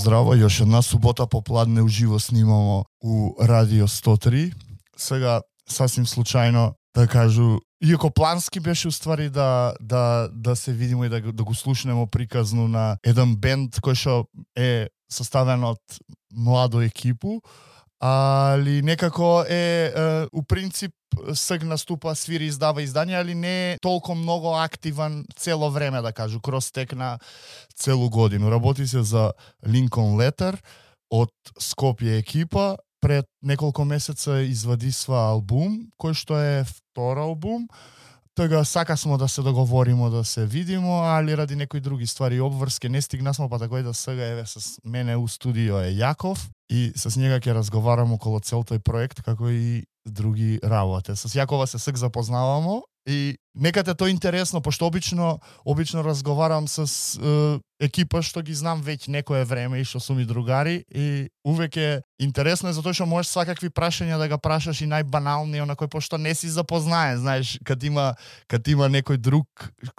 Здраво, još една субота попладне уживо снимамо у Радио 103. Сега, сасвим случајно да кажу, иако плански беше уствари да се видимо и да го слушнемо приказну на еден бенд кој што е составен од младо екипу, али некако у принцип сыг наступа, свири, издава издања, али не е толку многу активен цело време, да кажу, кроз тек на целу годину. Работи се за Lincoln Letter од Скопје екипа. Пред неколку месеца извадисва албум, кој што е втор албум. Тога сака смо да се договоримо, да се видимо, али ради некои други ствари обврски не стигнасмо, па такој да сега еве с мене у студио е Јаков и с njega ќе разговарам околу цел тој проект, како и други работи. С Јакова се сак запознавамо и некаде тоа интересно, пошто обично разговарам с екипа што ги знам веќе некое време и што сум и другари и увеќе интересно е затоа што можеш свакакви прашања да ga прашаш и најбанални, онакој пошто не си запознаен, знаеш, кад има некој друг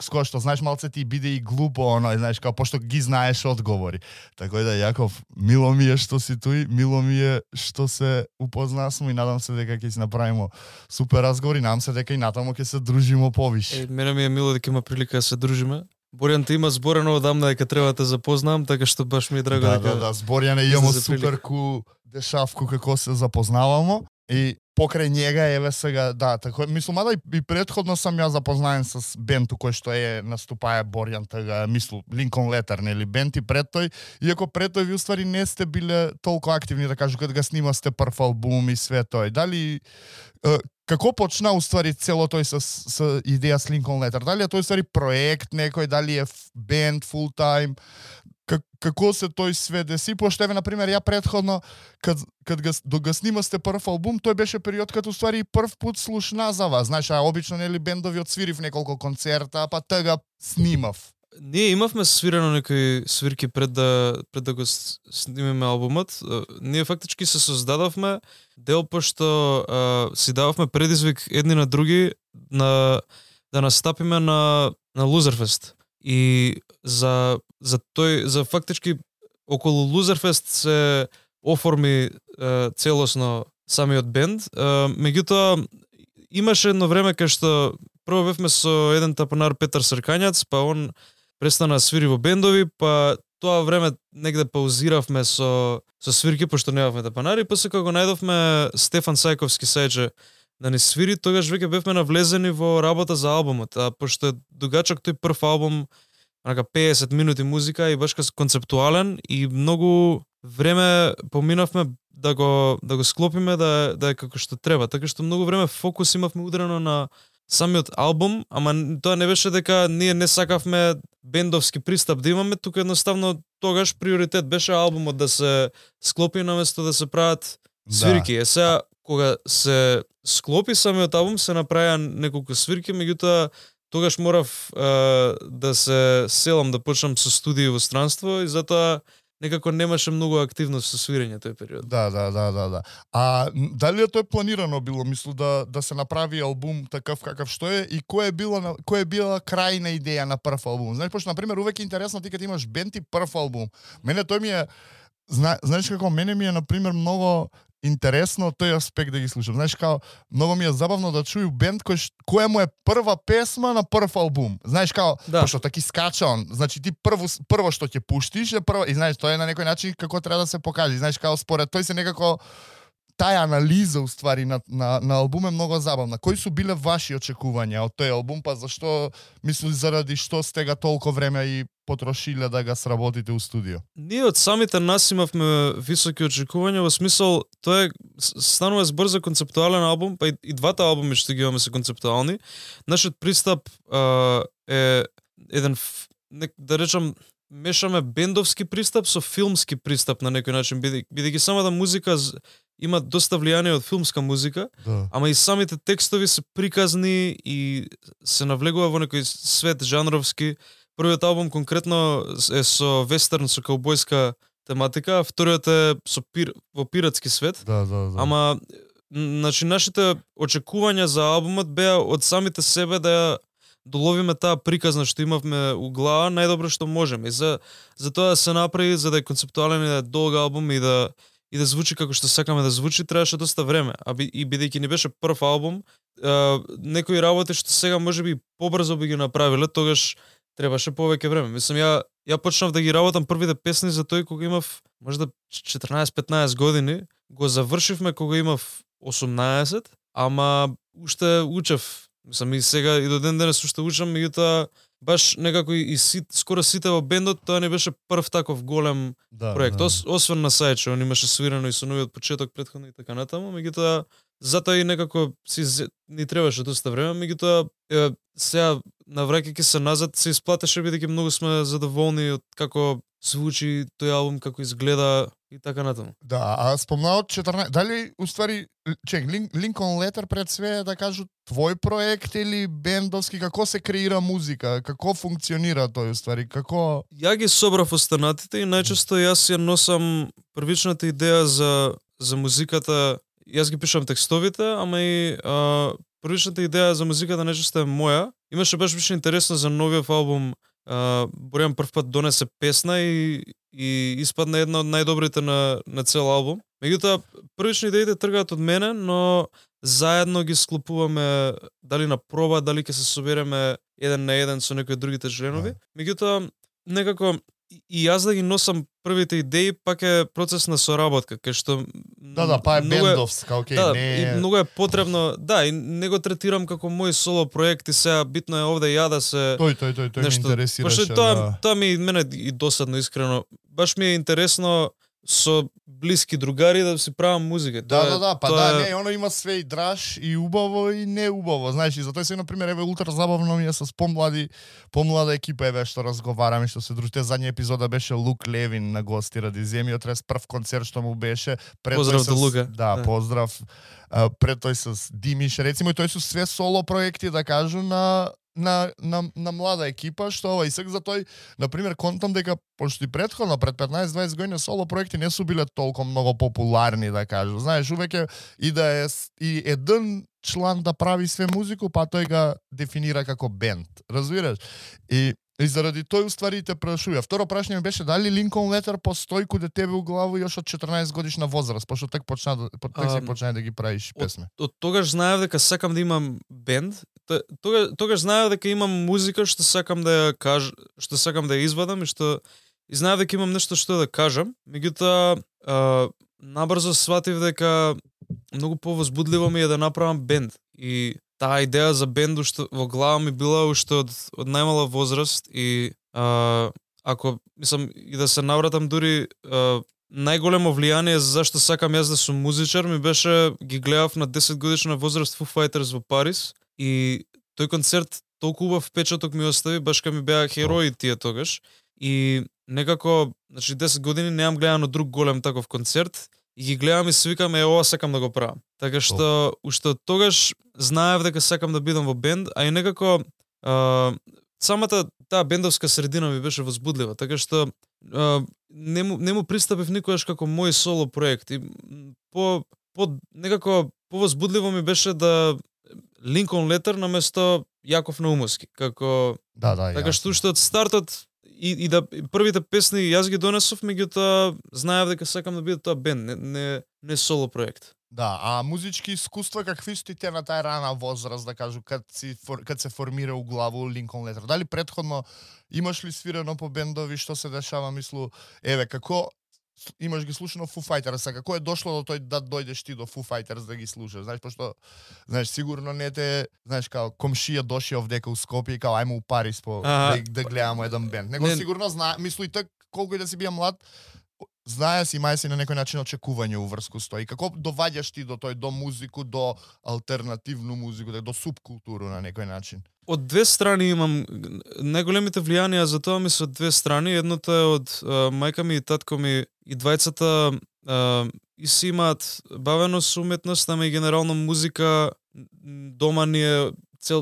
с кој што знаеш малце ти биде и глупо, знаеш, као пошто ги знаеш одговори. Така да Јаков, мило ми е што си туј, мило ми е што се упознасмо и надам се дека ќе си направиме супер разговори, надам се дека и натаму ќе се дружимо повише. Мене ми е мило дека има прилика да се дружиме. Борјан те има зборено одамна дека треба да те запознам, така што баш ми е драго дека... Да, Борјан имамо супер ку дешавку како се запознавамо и покрај njega еве сега, да, така мислам и претходно сам ја запознаен с бендот кој што наступае Борјан, така мислам Lincoln Letter, нели бенд и пред тој, иако пред тој ви уствари не сте биле толку активни, да кажу, кога го снимасте прв албум и све тој. Дали како почна уствари цело тој со идеја с Lincoln Letter? Дали е тој уствари проект некој, дали е бенд full time? Како се тој све деси? Пошто еве на пример ја претходно кад го снимасте прв албум, тој беше период кад уствари прв пат слушна за вас. Знаеш, обично нели бендови отсвирив неколку концерта, па тога снимав. Ние имавме свирено некои свирки пред да го снимеме албумот. Ние фактички се создадовме дел пошто си дававме предизвик едни на други да настапиме на Loserfest. И за фактички околу Loserfest се оформи целосно самиот бенд. Меѓутоа имаше едно време кај што прво бевме со еден тапанар Петар Сркањац, па он престана свири во бендови, па тоа време негде паузиравме со свирки пошто немавме тапанари, па се кога го најдовме Стефан Сајковски сајче да ни свири, тогаш веќе бевме навлезени во работа за албумот, а пошто е дугачок тој прв албум, 50 минути музика и баш концептуален и многу време поминавме да го склопиме да е како што треба, така што многу време фокус имавме удрено на самиот албум, ама тоа не беше дека ние не сакавме бендовски пристап да имаме, тука едноставно тогаш приоритет беше албумот да се склопи наместо да се прават свирки. Сега кога се склопи самиот албум се направија неколку свирки, меѓутоа тогаш морав да се селам да почнам со студии во странство и затоа некако немаше многу активност со свирење тој период. Да. А дали е тоа планирано било, мислу да се направи албум такав какав што е и кој е била крајна идеја на прв албум? Знаеш, пошто на пример увек е интересно ти кога имаш бенд и прв албум. Мене тој ми е знаеш како мене ми е на пример многу интересно тој аспект да ги слушам. Знаеш, као многу ми е забавно да чуju бенд која му е прва песма на прв албум. Знаеш, као пошто таки скача он. Значи ти прво што ќе пуштиш е прво и знаеш, тоа е на некој начин како треба да се покаже. Знаеш, као според тој се некако таа анализа уствари на албум е многу забавна. Кои су биле ваши очекувања од тој албум, па зашто мисли заради што сте га толку време и потрошиле да га сработите у студио? Ние од самите нас имавме високи очекувања, во смисол тоа станува збор за концептуален албум, па и двата албуми што ги имаме се концептуални. Нашиот пристап е еден, да речам, мешаме бендовски пристап со филмски пристап на некој начин, бидејќи самата музика има доста влијание од филмска музика, ама и самите текстови се приказни и се навлегува во некој свет жанровски. Првиот албум конкретно е со вестерн, со каубојска тематика, а вториот е во пиратски свет. Да. Ама, значи, нашите очекувања за албумот беа од самите себе да доловиме таа приказна што имавме у глава најдобро што можеме. И за тоа да се направи, за да е концептуален и да е долг албум и да звучи како што сакаме да звучи, требаше доста време. И бидејќи ни беше прв албум, некои работи што сега можеби побрзо би ги направиле, тогаш требаше повеќе време. Мислам, ја почнав да ги работам првите песни за тој кога имав можда 14-15 години, го завршивме кога имав 18, ама уште учев. Мислам, и сега и до ден денес уште учам, меѓутоа баш некако и скоро сите во бендот, тоа не беше прв таков голем проект. Освен на Сајче, он имаше свирано и со новиот почеток претходно и така натаму, меѓутоа затоа и некако ни требаше доста време, меѓутоа сега навраќајќи се назад се исплатеше бидејќи многу сме задоволни од како звучи тој албум, како изгледа и така натаму. Да, а спомнаа од 14, дали уствари Lincoln Letter пред све да кажу твој проект или бендовски, како се креира музика, како функционира тој уствари, како Ја ги собрав останатите и најчесто јас ја носам првичната идеја за музиката. Јас ги пишам текстовите, ама и првичната идеја за музиката најчесто е моја. Имаше беше интересно за новиот албум. Борјан прв пат донесе песна и испадна една од најдобрите на цел албум. Меѓутоа, првични идеите тргаат од мене, но заедно ги склопуваме дали на проба, дали ќе се собереме еден на еден со некои другите членови. Меѓутоа, некако и јас да ги носам првите идеи, пак е процес на соработка, кај што па е бендовска, окей, не и многу е потребно, и не го третирам како мој соло проект и сега битно е овде ја да се Тој нешто, ме интересираше. Тоа ми мене и досадно искрено. Баш ми е интересно со блиски другари да си правам музика. Оно има све и драж и убаво и не убаво, знаеш, и затоа се на пример еве ултра забавно ми е со помлада екипа еве што разговараме, што се дружите. Задња епизода беше Лук Левин на гости ради Земјотрес, прв концерт што му беше. Поздрав до Лука. Да, поздрав. Пред тој с Димиш, рецимо, и тој се све соло проекти, да кажу, на млада екипа, што и сега за тој, на пример, контам дека пошто и претходно пред 15-20 години соло проекти не су биле толку многу популарни, да кажу. Знаеш, увеќе и да е и еден члан да прави све музику, па тој га дефинира како бенд. Разбираш? И заради тој уствари те прашува. Второ прашање ми беше дали Lincoln Letter постои каде тебе у глава још од 14 годишна возраст, пошто тек почна да ги правиш песме. Од тогаш знаев дека сакам да имам бенд. Тогаш знаев дека имам музика што сакам да ја што сакам да ја извадам и знаев дека имам нешто што да кажам. Меѓутоа набрзо сватив дека многу повозбудливо ми е да направам бенд. И таа идеја за бенд уште во глава ми била уште од најмала возраст и ако мислам и да се навратам дури најголемо влијание за зашто сакам јас да сум музичар ми беше ги гледав на 10 годишна возраст Foo Fighters во Париз и тој концерт толку убав впечаток ми остави, баш кога ми беа херои тие тогаш и некако, значи 10 години немам гледано друг голем таков концерт и ги гледам и се викам ова сакам да го правам. Така што уште од тогаш знаев дека сакам да бидам во бенд, а и некако самата таа бендовска средина ми беше возбудлива, така што не му пристапив никогаш како мој соло проект и некако повозбудливо ми беше да Lincoln Letter наместо Јаков Наумовски, како така што уште од стартот и да првите песни јас ги донесов, меѓутоа знаев дека сакам да биде тоа бенд, не соло проект. Да, а музички искуства какви сте те на тај рана возраст, да кажу, кад се формира у главу Lincoln Letter? Дали претходно имаш ли свирено по бендови, што се дешава, мислу, еве, како имаш ги слушано Foo Fighters, како е дошло до тој да дојдеш ти до Foo Fighters да ги слушаш? Знаеш, пошто, знаеш, сигурно не те, знаеш, као комшија доши овдека у Скопје и као ајмо у Париз да гледаме еден бенд. Него сигурно знае, мислу и так колку и да си бија млад, знае си, мај си на некој начин очекување уврску стои. Како доваѓаш ти до тој, до музику, до алтернативну музику, до субкултуру на некој начин? Од две страни имам најголемите влијанија за тоа ми се од две страни. Едното е од мајка ми и татко ми и двајцата и си имаат бавено со уметност, ама и генерално музика дома ни е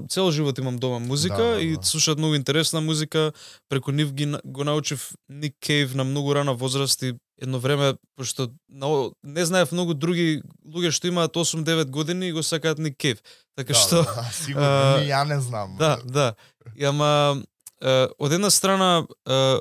цел живот имам дома музика и слушаат многу интересна музика. Преку нив го научив Ник Кейв на многу рана возраст и едно време, пошто не знаев многу други луѓе што имаат 8-9 години и го сакаат Ник Кейв. Така што сигурно ја не знам. Да. И ама од една страна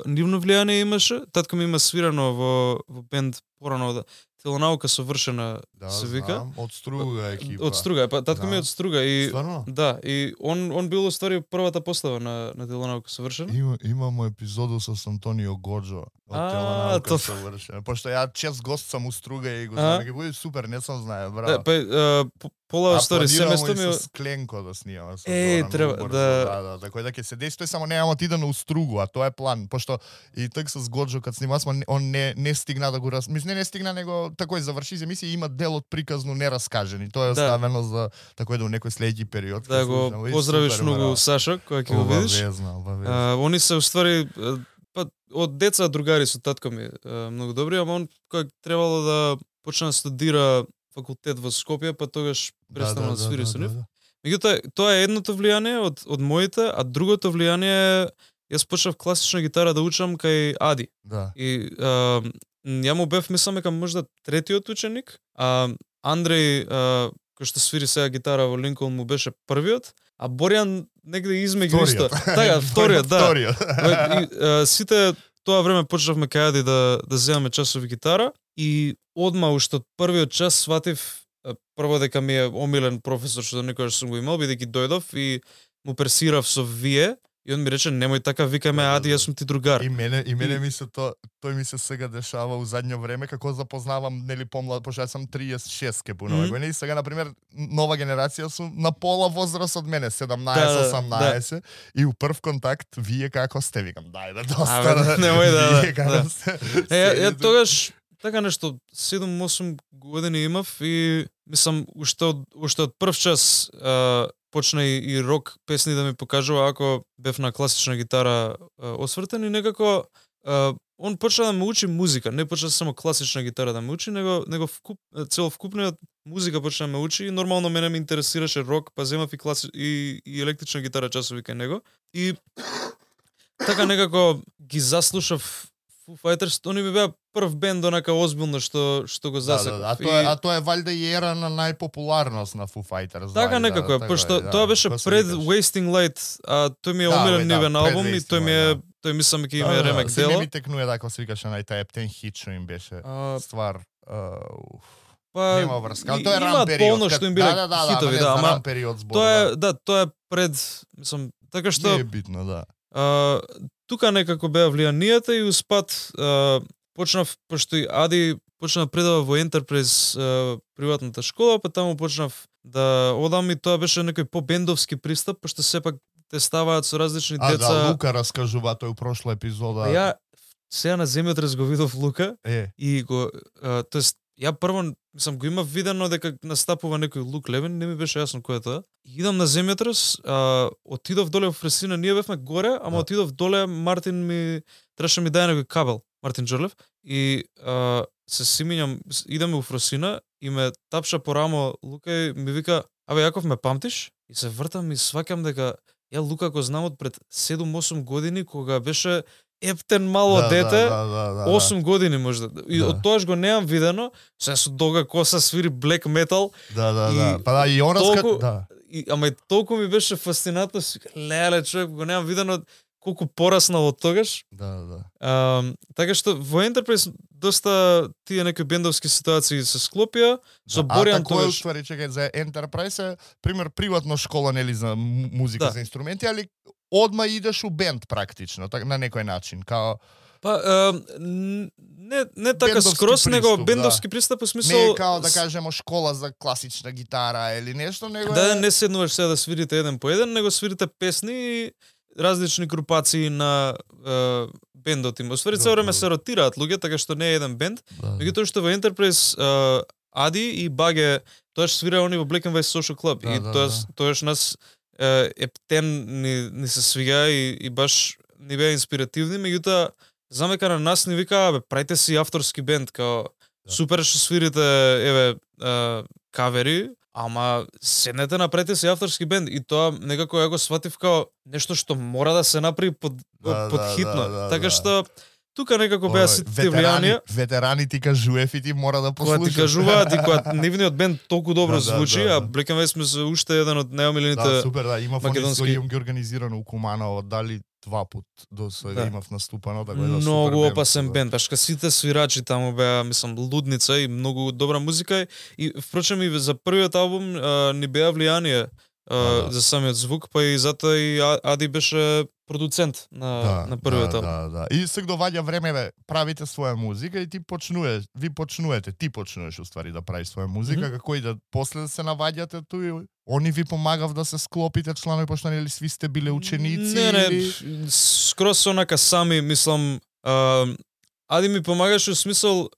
нивно влијание имаше, татко ми има свирано во бенд порано Телонаука совршена се вика. Знам, од Струга екипа. Од Струга, па татко ми е од Струга и Стварно? да, и он бил оствари првата постава на Телонаука совршена. Имамо епизоду со Антонио Годжо од Телонаука совршена. Пошто ја чест гост сум у Струга и го знам, ќе биде супер, не сум знае, браво. Пола стори семејство ми со Кленко да снимаме со треба да, така да ќе се деси, тој само немамо ти да на Устругу, а тоа е план, пошто и так со Годжо кога снимавме, он не стигна да го мислам не стигна, него такој заврши се емисија, има дел од приказно нераскажен и тоа е оставено за такој да у некој следејќи период. Да го поздравиш многу Сашо кога ќе го видиш. Они се уствари од деца другари со татко ми многу добри, ама он кога требало да почне да студира факултет во Скопје, па тогаш престана да свири со нив. Меѓутоа, тоа е едното влијание од моите, а другото влијание јас почнав класична гитара да учам кај Ади. Да. И ја му бев, мислам дека можда третиот ученик, а Андреј, кој што свири сега гитара во Линколн, му беше првиот, а Борјан негде измеѓу исто. Така, вториот, да. Сите тоа време почнавме кај Ади да земаме часови гитара и одма уште од првиот час сватив прво дека ми е омилен професор што никогаш сум го имал, бидејќи дојдов и му персирав со вие. И он ми рече, немој така, викаме Ади, јас сум ти другар. И мене ми се тој ми се сега дешава у задњо време, како запознавам, нели помлад, пошто јас сум 36 ке пунова години, и сега, например, нова генерација сум на пола возраст од мене, 17-18, и у прв контакт, вие како сте, викам, дајде, доста. Немој да. Вие како сте. Ја тогаш, така нешто, 7-8 години имав и, мислам, уште од прв час почна и рок песни да ми покажува, ако бев на класична гитара освртен и некако он почна да ме учи музика, не почна само класична гитара да ме учи, него целовкупниот музика почна да ме учи и нормално мене ме интересираше рок, па земав и електрична гитара часови кај него и така некако ги заслушав Foo Fighters, они ми беа прв бенд онака озбилно што го засекав. А тоа е валјда и ера на најпопуларност на Foo Fighters. Така некако, пошто тоа беше пред Wasting Light, а тој ми е омилен нивен албум и тој мислам дека има ремек дело. Не ми текнуе така се викаше на тај Ептен хит што им беше. Ствар. Нема врска. Тоа е ран период. Полно што им биле хитови, да, ама тоа е пред, мислам, така што не е битно, да. Тука некако беа влијанијата и успат почнав, пошто и Ади почнав предава во Enterprise приватната школа, па таму почнав да одам и тоа беше некој по-бендовски пристап, пошто сепак те ставаат со различни деца. Да, Лука раскажува тој у прошла епизода. Ја сега на земјотрес го видов Лука и го, тоест ја прво мислам го имав видено дека настапува некој Лук Левин, не ми беше јасно кој е тоа. Идам на земјотрес, отидов доле во Фресина, ние бевме горе, ама отидов доле, Мартин ми требаше ми даде некој кабел, Мартин Джорлев, и се симињам, идеме во Фресина и ме тапша по рамо Лука и ми вика, абе Јаков, ме памтиш? И се вртам и сваќам дека ја Лука го знам од пред 7-8 години кога беше ептен мало дете, 8 години можда. И од тоаш го немам видено, се со долга коса свири black metal. Да. Па да, и он раска, ама и толку ми беше фасцинатно, леле, човек, го немам видено колку пораснал од тогаш. Да. Така што во Enterprise доста тие некои бендовски ситуации се склопија, со Борјан тогаш. А уствари, чекај, за Enterprise е, пример, приватно школа, нели, за музика, за инструменти, али одма идеш у бенд практично, на некој начин, као па не така скрос, него бендовски пристап во смисол не као да кажемо школа за класична гитара или нешто, него да не седнуваш сега да свирите еден по еден, него свирите песни и различни групации на бендот им. Освари цело време се ротираат луѓе, така што не е еден бенд. Меѓутоа што во Enterprise Ади и Баге тоаш свира они во Black and White Social Club и тоаш нас Ептен ни се свига и баш ни беа инспиративни, меѓутоа знам дека на нас ни вика, бе, правите си авторски бенд, као супер што свирите, еве, кавери, ама седнете направите си авторски бенд и тоа некако ја го сватив као нешто што мора да се направи под хитно. Така што тука некако беа сите влијанија. Ветерани ти кажуев и ти мора да послушаш. Кога ти кажуваат и кога нивниот бенд толку добро звучи, а Black and White сме се уште еден од најомилените. Да, супер, да, имав македонски. имам ги организирано у Куманово, дали 2 пат до сега имав наступано, да го многу опасен бенд, баш сите свирачи таму беа, мислам, лудница и многу добра музика и впрочем и за првиот албум ни беа влијание за самиот звук, па и затоа и Ади беше продуцент на првиот албум. Да. И сега доаѓа време бе, правите своја музика и ти почнуваш уствари да правиш своја музика, како и да после да се наваѓате туи, они ви помагав да се склопите чланови, пошто нели сви сте биле ученици? Не, скрос онака сами, мислам, Ади ми помагаше во смисол,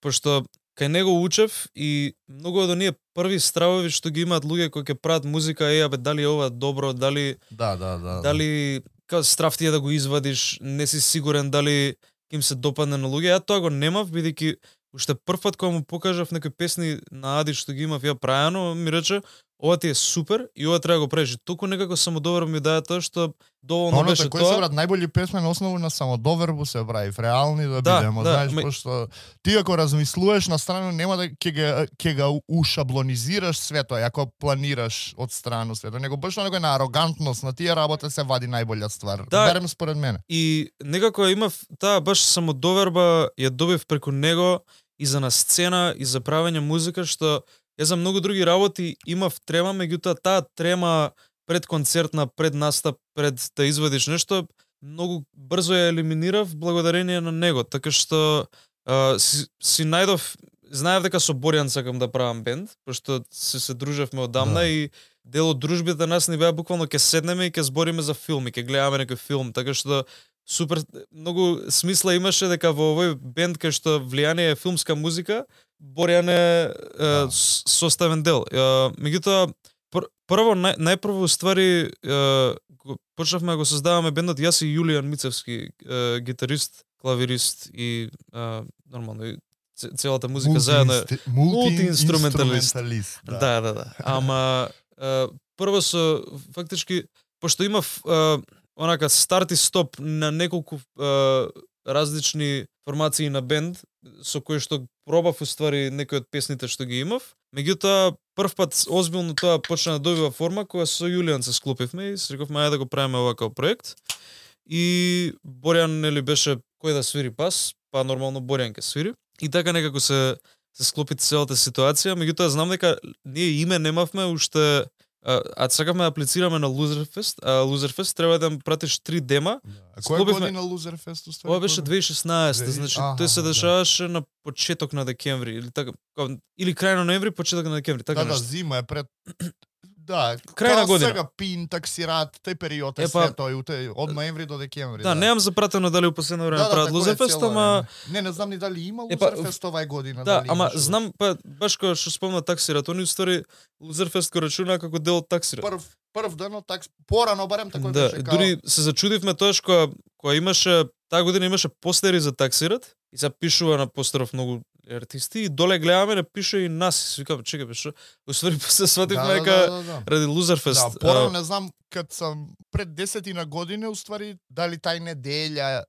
пошто кај него учев и многу од оние први стравови што ги имаат луѓе кои ќе прават музика, абе дали ова добро, дали дали као страв ти е да го извадиш, не си сигурен дали ќе им се допадне на луѓе. Ја тоа го немав, бидејќи уште прв пат кога му покажав некои песни на Ади што ги имав ја прајано, ми рече ова ти е супер и ова треба да го правиш. Толку некако самодоверба ми даде тоа што доволно беше тоа. Кој се брат најбољи песме на основа на самодовербу се прави, реални да бидеме, знаеш, пошто ти ако размислуваш на страна нема да ќе го ушаблонизираш свето, ако планираш од страна свето, него баш на некој на арогантност на тие работа се вади најбоља ствар. Берем според мене. И некако имав таа баш самодоверба, ја добив преку него и за на сцена и за правење музика што ја за многу други работи имав трема, меѓутоа таа трема пред концертна, пред настап, пред да извадиш нешто, многу брзо ја елиминирав благодарение на него, така што си најдов, знаев дека со Боријан сакам да правам бенд, пошто се дружевме одамна и дел од дружбите нас ни беа буквално ќе седнеме и ќе збориме за филм и ќе гледаме некој филм, така што супер многу смисла имаше дека во овој бенд кај што влијание е филмска музика, Боријан е составен дел. Меѓутоа прво најпрво ствари почнавме да го создаваме бендот јас и Јулијан Мицевски, гитарист, клавирист и нормално целата музика заедно мултиинструменталист. Да. Ама прво со фактички пошто имав онака старт и стоп на неколку различни формации на бенд со кои што пробав уствари некои од песните што ги имав. Меѓутоа прв пат озбилно тоа почна да добива форма кога со Јулијан се склопивме и се рековме ајде да го правиме ова како проект. И Боријан нели беше кој да свири бас, па нормално Боријан ќе свири. И така некако се склопи целата ситуација, меѓутоа знам дека ние име немавме уште. Сакавме да аплицираме на Loserfest, а Loserfest треба да пратиш 3 дема. Која година Loserfest уствари? Ова беше 2016, значи тој се дешаваше на почеток на декември или така, или крај на ноември, почеток на декември, така нешто. Да, зима е пред крај на година. Сега пин, таксират, тој период е све тој од ноември до декември. Да, немам запратено дали у последно време прават Loserfest, ама не знам ни дали има Loserfest овај година. Да, ама знам баш кога што спомна таксират, они устари Loserfest го рачуна како дел од таксират. Прв ден од такс, порано барем тако беше. Да, дури се зачудивме тоаш кога имаше таа година имаше постери за таксират и се пишува на постеров многу артисти и доле гледаме не пише и нас. Викам, чекај беше. Уствари се свативме дека ради Loserfest. Да, порано не знам кад сам пред 10 години уствари дали тај неделја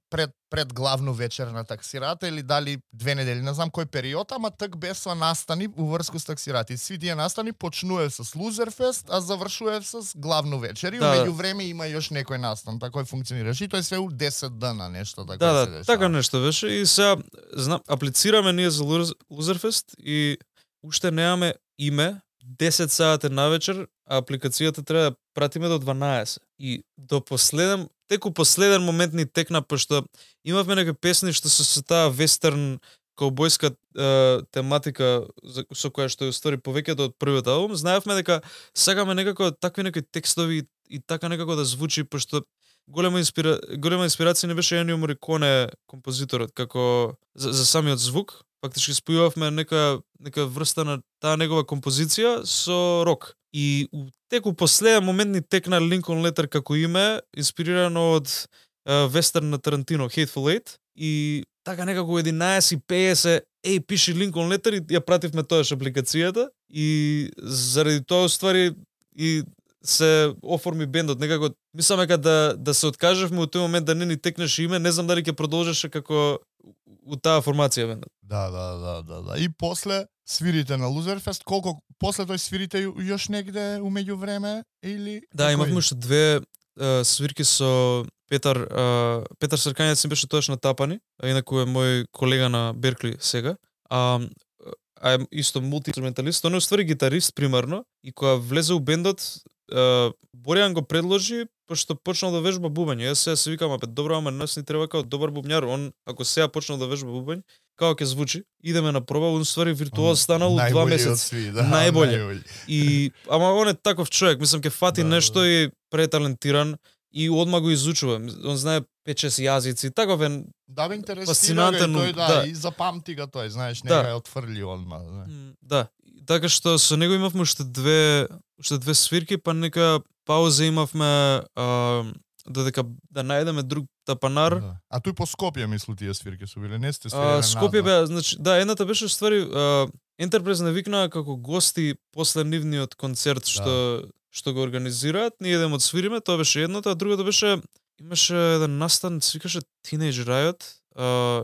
пред главно вечер на таксирата или дали 2 недели, не знам кој период, ама так беса настани уврску с таксирати. Сви тие настани почнуе с Loserfest, а завршуе с главно вечер и меѓу време има још некој настан, така функционираше и тоа е све у 10 дена нешто така се дешава. Така нешто беше и сега знам аплицираме ние за Loserfest и уште немаме име. 10 сати навечер, а апликацијата треба да пратиме до 12. И до теку последен момент ни текна, пошто имавме некои песни што се со таа вестерн каубојска тематика со која што ја ствари повеќето од првиот албум. Знаевме дека сакаме некако такви некои текстови и така некако да звучи, пошто голема инспирација не беше Енио Мориконе композиторот како за самиот звук. Фактички спојувавме нека врста на таа негова композиција со рок. И у теку последен момент ни текна Lincoln Letter како име, инспирирано од вестерн на Тарантино, Hateful Eight. И така некако 11:50, пиши Lincoln Letter и ја пративме тоаш апликацијата. И заради тоа ствари и се оформи бендот, некако мислам дека да се откажевме во тој момент да не ни текнеше име, не знам дали ќе продолжеше како у таа формација бендот. Да. И после свирите на Лузерфест, колку после тој свирите још негде умеѓу време или Да, имавме уште две свирки со Петар Сркањец беше тоаш на Тапани, а инаку е мој колега на Беркли сега. А е исто мултиинструменталист, он е уствари гитарист примарно и кога влезе у бендот, Боријан го предложи пошто почнал да вежба бубање. Јас сега се викам, добро, ама нас ни треба као добар бубњар, он ако сега почнал да вежба бубање, како ќе звучи? Идеме на проба, он ствари виртуоз станал у 2 месеци. Најбоље. И ама он е таков човек, мислам ќе фати нешто и преталентиран и одма го изучува. Он знае 5-6 јазици, таков е. Да, бе интересира тој, да, и запамти го тој, знаеш, не ја отфрли одма. Да. Така што со него имавме уште две свирки, па нека пауза имавме додека да најдеме друг тапанар. Да. А тој по Скопје мислу тие свирки су биле, не сте свириле Скопје беа, значи, да, едната беше ствари Ентерпрайз не викнаа како гости после нивниот концерт што го организираат, ние идеме одсвириме, тоа беше едното, а другото беше имаше еден настан, се викаше Teenage Riot,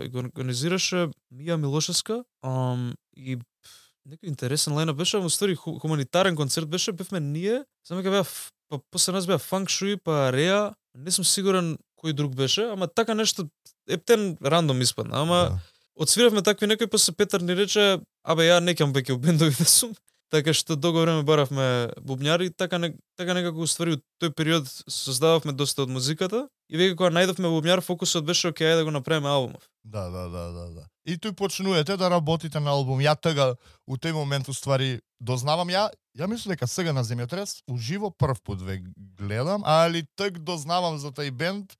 и го организираше Мија Милошевска, и некој интересен лајнап беше, ама ствари хуманитарен концерт беше, бевме ние, само дека беа па после нас беа Фанк Шуи, па Реа, не сум сигурен кој друг беше, ама така нешто ептен рандом испадна, ама одсвиравме такви некој, после Петар ни рече, ја не ќам веќе у бендови да сум, така што долго време баравме бубњари, така некако уствари од тој период создававме доста од музиката и веќе кога најдовме бубњар, фокусот беше окей да го направиме албумов. Да. И тој почнувате да работите на албум. Ја тога у тој момент уствари дознавам ја мислам дека сега на Земјотрес уживо прв пат ве гледам, али тък дознавам за тој бенд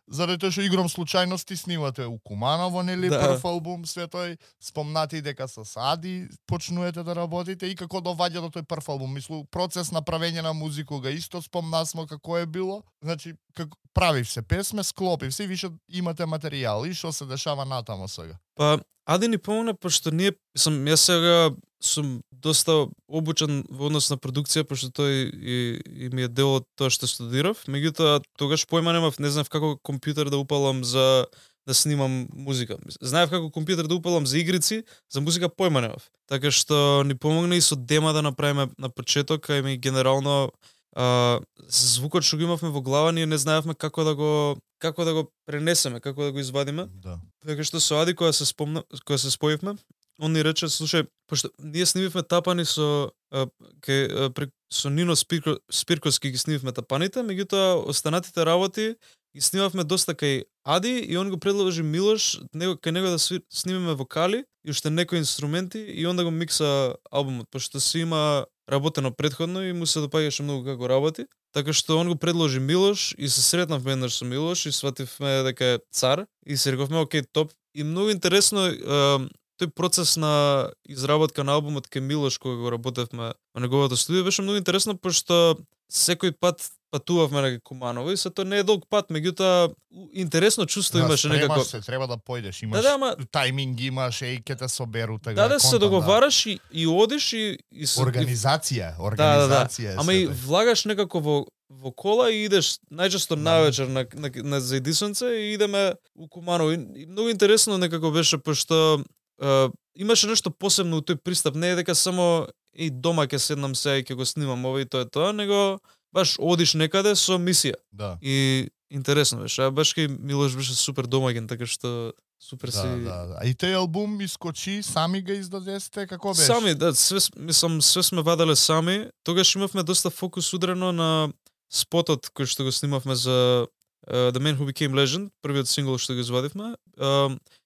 заради тоа што игром случајности снимате у Куманово, нели, прв албум, све тој, спомнати дека со Ади почнувате да работите и како доваѓа до тој прв албум. Мислу, процес на правење на музика исто спомнасмо како е било. Значи, како правив се песме, склопив се и више имате материјал и што се дешава натамо сега. Па Ади ни помогна пошто јас сега сум доста обучен во однос на продукција, пошто тој и ми е дел од тоа што студирав. Меѓутоа, тогаш појма немав, не знав како компјутер да упалам за да снимам музика. Знаев како компјутер да упалам за игрици, за музика појма немав. Така што ни помогна и со дема да направиме на почеток, а и генерално звукот што го имавме во глава, ние не знаевме како да го пренесеме, како да го извадиме. Да. Така што со Ади кога се споивме, он ни рече, слушај, пошто ние снимивме Тапани со Нино Спирковски ги снимивме Тапаните, меѓутоа останатите работи ги снимавме доста кај Ади и он го предложи Милош кај него да снимиме вокали и уште некои инструменти и он да го микса албумот, пошто се има работено претходно и му се допаѓаше многу како работи. Така што он го предложи Милош и се сретнавме еднаш со Милош и свативме дека е цар и се рековме окей, топ. И многу интересно тој процес на изработка на албумот кај Милош кога го работевме во неговото студио беше многу интересно, пошто секој пат патувавме на Куманово и тоа не е долг пат, меѓутоа интересно чувство имаше некако. Се треба да појдеш, имаш тајминг, имаш и ќе те соберу така. Да, се договараш и одиш и организација. Ама и влагаш некако во кола и идеш најчесто навечер на заедисонце и идеме у Куманово. И многу интересно некако беше, пошто имаше нешто посебно у тој пристап, не е дека само и дома ќе седнам сега и ќе го снимам ова и тоа, него баш одиш некаде со мисија. Да. И интересно беше. А баш кај Милош беше супер домаќен, така што супер си. Да. И тој албум искочи, сами го издадесте, како беше? Сами, да, све сме ваделе сами. Тогаш имавме доста фокус удрено на спотот кој што го снимавме за The Man Who Became Legend, првиот сингл што го извадивме.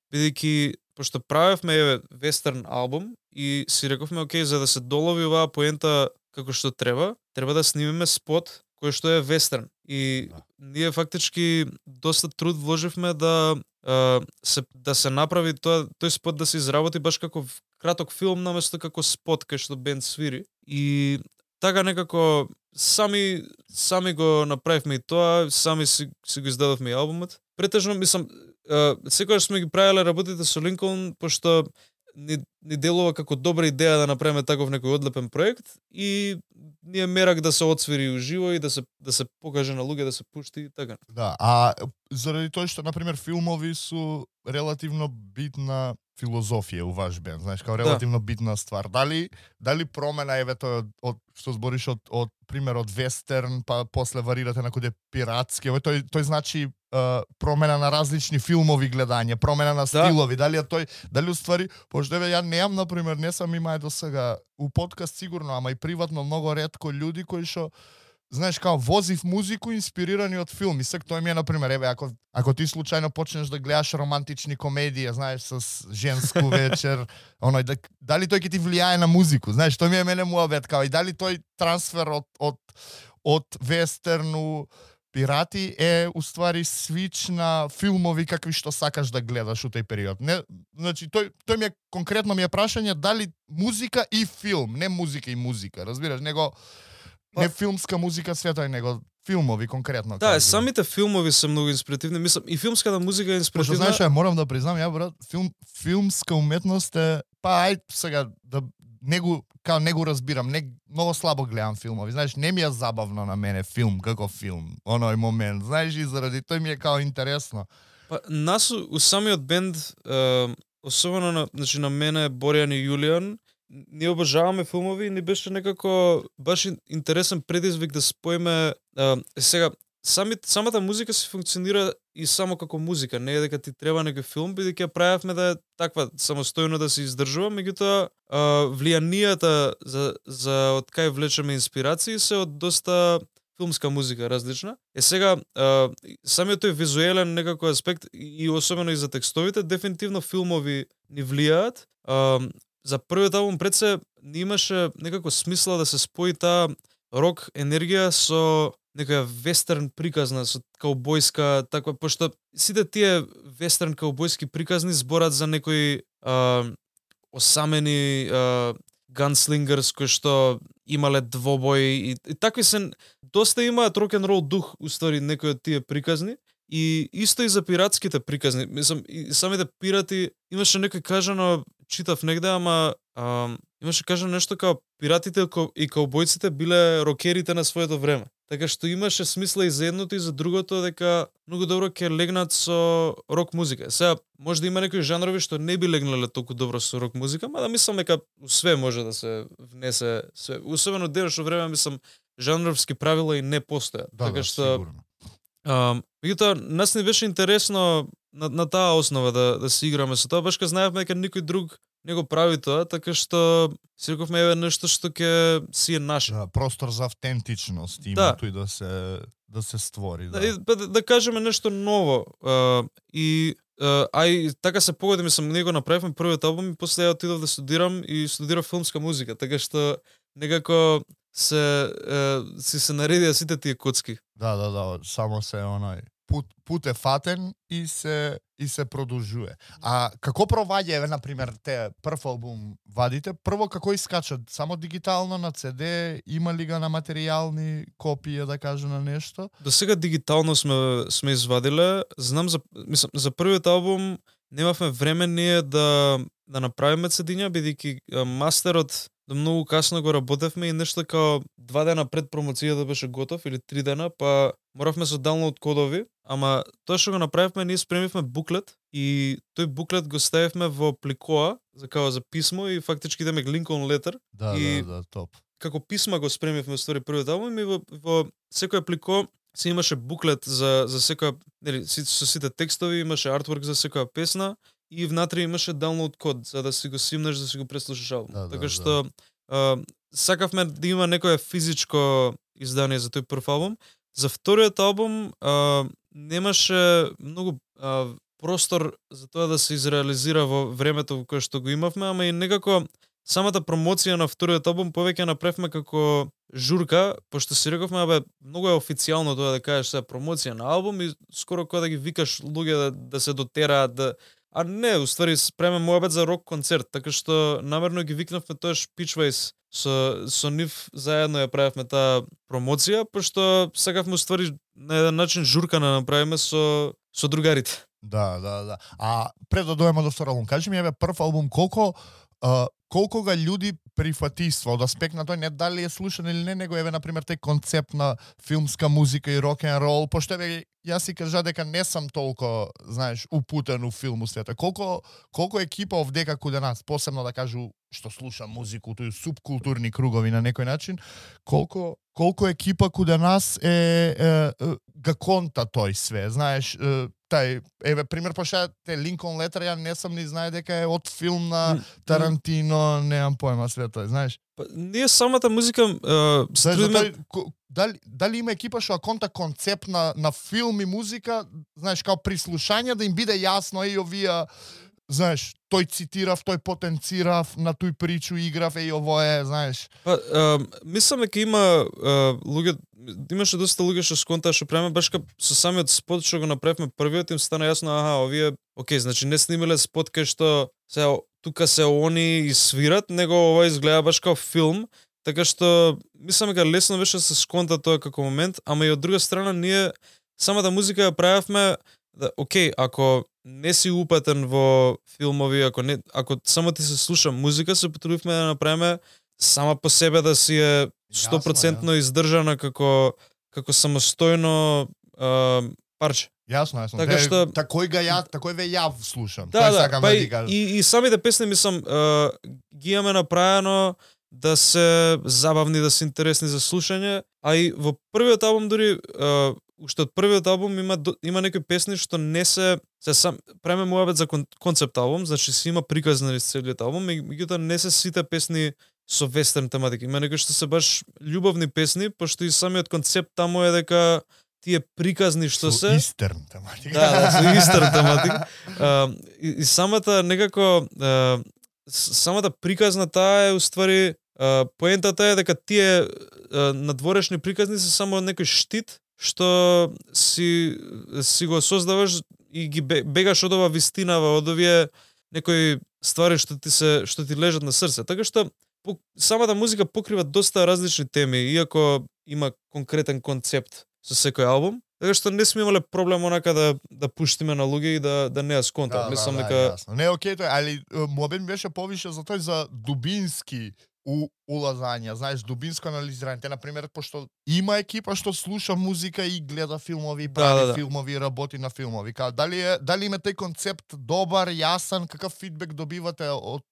Бидејќи пошто правевме вестерн албум и си рековме окей, за да се долови оваа поента како што треба да снимеме спот кој што е вестерн. И ние фактички доста труд вложивме да се направи тој спот да се изработи баш како краток филм наместо како спот кај што бенд свири. И така некако сами го направивме и тоа, сами си го издадовме и албумот. Претежно мислам секогаш сме ги правеле работите со Линколн, пошто ни делува како добра идеја да направиме таков некој одлепен проект и ние мерак да се отсвири уживо и да се покаже на луѓе, да се пушти и така. Да, а заради тоа што, например, филмови су релативно битна филозофија у ваш бенд, знаеш, као релативно битна ствар. Дали промена еве тоа од што збориш од пример од вестерн, па после варирате на коде пиратски, еве тој значи промена на различни филмови гледање, промена на стилови, дали уствари, пошто еве ја неам, например, не сам имај до сега у подкаст сигурно, ама и приватно многу ретко луѓе кои што знаеш, као возив музику инспирирани од филми. Сек тоа ми е, например, еве, ако ти случајно почнеш да гледаш романтични комедии, знаеш, с женску вечер, дали тој ќе ти влијае на музику, знаеш, тоа ми е мене муабет, као и дали тој трансфер од вестерну пирати е уствари свич на филмови какви што сакаш да гледаш у тој период. Не, значи тој ми е конкретно ми е прашање дали музика и филм, не музика и музика, разбираш, него не филмска музика света, него филмови конкретно. Да, самите филмови се многу инспиративни. Мислам, и филмската музика е инспиративна. Пошто знаеш, морам да признам, ја брат, филмска уметност е, па ај сега да не го разбирам, многу слабо гледам филмови. Знаеш, не ми е забавно на мене филм, како филм, оној момент. Знаеш, и заради тој ми е као интересно. Па нас у самиот бенд, особено на мене, Боријан и Јулијан, ние обожаваме филмови и ни беше некако баш интересен предизвик да споиме сега самата музика се функционира и само како музика, не е дека ти треба некој филм, бидејќи ја правевме да е таква самостојно да се издржува, меѓутоа влијанијата за од кај влечеме инспирации се од доста филмска музика различна. Сега самиот тој визуелен некако аспект и особено и за текстовите, дефинитивно филмови ни влијаат. За првиот албум пред се не имаше некако смисла да се спои таа рок енергија со некоја вестерн приказна, со каубојска таква, пошто сите тие вестерн каубојски приказни зборат за некои осамени ганслингерс кои што имале двобои и такви се доста имаат рок-н-рол дух уствари некои од тие приказни. И исто и за пиратските приказни. Мислам, и самите пирати имаше некој кажано, читав негде, ама имаше кажано нешто као пиратите и каубојците биле рокерите на своето време. Така што имаше смисла и за едното и за другото дека многу добро ќе легнат со рок музика. Сега може да има некои жанрови што не би легнале толку добро со рок музика, ама да мислам дека све може да се внесе све. Особено денешно време мислам жанровски правила и не постојат. Така што сигурно. Меѓутоа, нас не беше интересно на таа основа да се играме со тоа, баш ка знаевме дека никој друг не го прави тоа, така што си рековме еве нешто што ќе си е наше. Да, простор за автентичност има тој да се створи. Да кажеме нешто ново. И така се погоди, мислам, ние го направивме првиот албум и после ја отидов да студирам и студирав филмска музика, така што некако си се наредија сите тие коцки. Да, само се оној пут е фатен и се продолжува. А како проваѓа, еве, например, те прв албум вадите, прво како искачат? Само дигитално на CD, има ли га на материјални копија, да кажа на нешто? До сега дигитално сме извадиле. Знам за првиот албум немавме време ние да направиме CD-ња, бидејќи мастерот до многу касно го работевме и нешто као 2 дена пред промоцијата беше готов или 3 дена, па моравме со даунлоуд кодови, ама тоа што го направивме, ние спремивме буклет и тој буклет го ставивме во пликоа за писмо и фактички идеме Lincoln Letter. Да, топ. Како писма го спремивме ствари првиот албум и во секој плико се имаше буклет за секоја, нели, со сите текстови, имаше артворк за секоја песна и внатре имаше download код за да си го симнеш, да си го преслушаш албум. Така што сакавме да има некое физичко издание за тој прв албум. За вториот албум немаше многу простор за тоа да се изреализира во времето во кое што го имавме, ама и некако самата промоција на вториот албум повеќе направивме како журка, пошто си рековме, многу е официјално тоа да кажеш сега промоција на албум и скоро кога да ги викаш луѓе да се дотераат а не, уствари спреме муабет за рок концерт, така што намерно ги викнавме тоаш Pitchways со нив заедно ја правевме таа промоција, пошто сакавме уствари на еден начин журка да направиме со другарите. Да. А пред да дојдеме до втор албум, кажи ми, еве, прв албум колку колку га луѓе прифатиства од аспект на тој не дали е слушан или не, него еве на пример тој концепт на филмска музика и рок н рол, пошто еве јас си кажа дека не сам толку, знаеш, упутен у филму света. Колку екипа овдека каде нас, посебно да кажу што слуша музику, тој субкултурни кругови на некој начин, колку екипа каде нас га конта тој све, знаеш, тај, еве, пример, пошто те Линколн Летер, ја не сам ни знае дека е од филм на Тарантино, немам појма све тој, знаеш. Ние самата музика дали има екипа што конта концепт на филм и музика, знаеш, као при слушање да им биде јасно и овие, знаеш, тој цитирав, тој потенцирав, на тој причу играв, ово е, знаеш. Мислам дека има луѓе, имаше доста луѓе што сконтаа што правиме, баш кај со самиот спот што го направивме првиот, им стана јасно, овие, окей, значи не снимале спот кај што се тука се они и свират, него ова изгледа баш као филм, така што мислам дека лесно беше да се сконта тоа како момент, ама и од друга страна ние самата музика ја правевме да, окей, ако не си упатен во филмови, ако само ти се слуша музика, се потрудивме да направиме сама по себе да си е 100% издржана како самостојно парче. Јасно. Така што такој ве ја слушам. Да, и самите песни мислам ги имаме направено да се забавни, да се интересни за слушање, а и во првиот албум дури уште од првиот албум има некои песни што не се сам правиме муабет за концепт албум, значи си има приказни низ целиот албум, меѓутоа не се сите песни со вестерн тематика. Има некои што се баш љубовни песни, пошто и самиот концепт таму е дека тие приказни што се истерн тематика. Да, со истерн тематика. И самата некако самата приказна таа е уствари поентата е дека тие надворешни приказни се само некој штит што си го создаваш и ги бегаш од ова вистинава, од овие некои ствари што ти лежат на срце. Така што самата музика покрива доста различни теми, иако има конкретен концепт со секој албум. Така што не сме имале проблем онака да пуштиме на луѓе и да не ја сконтат. Мислам дека не окей тој, али муабет беше повише за тој за дубински улазања, знаеш, дубинско анализирање. Те, например, пошто има екипа што слуша музика и гледа филмови, прави филмови, работи на филмови. Дали има тој концепт добар, јасен, какав фидбек добивате од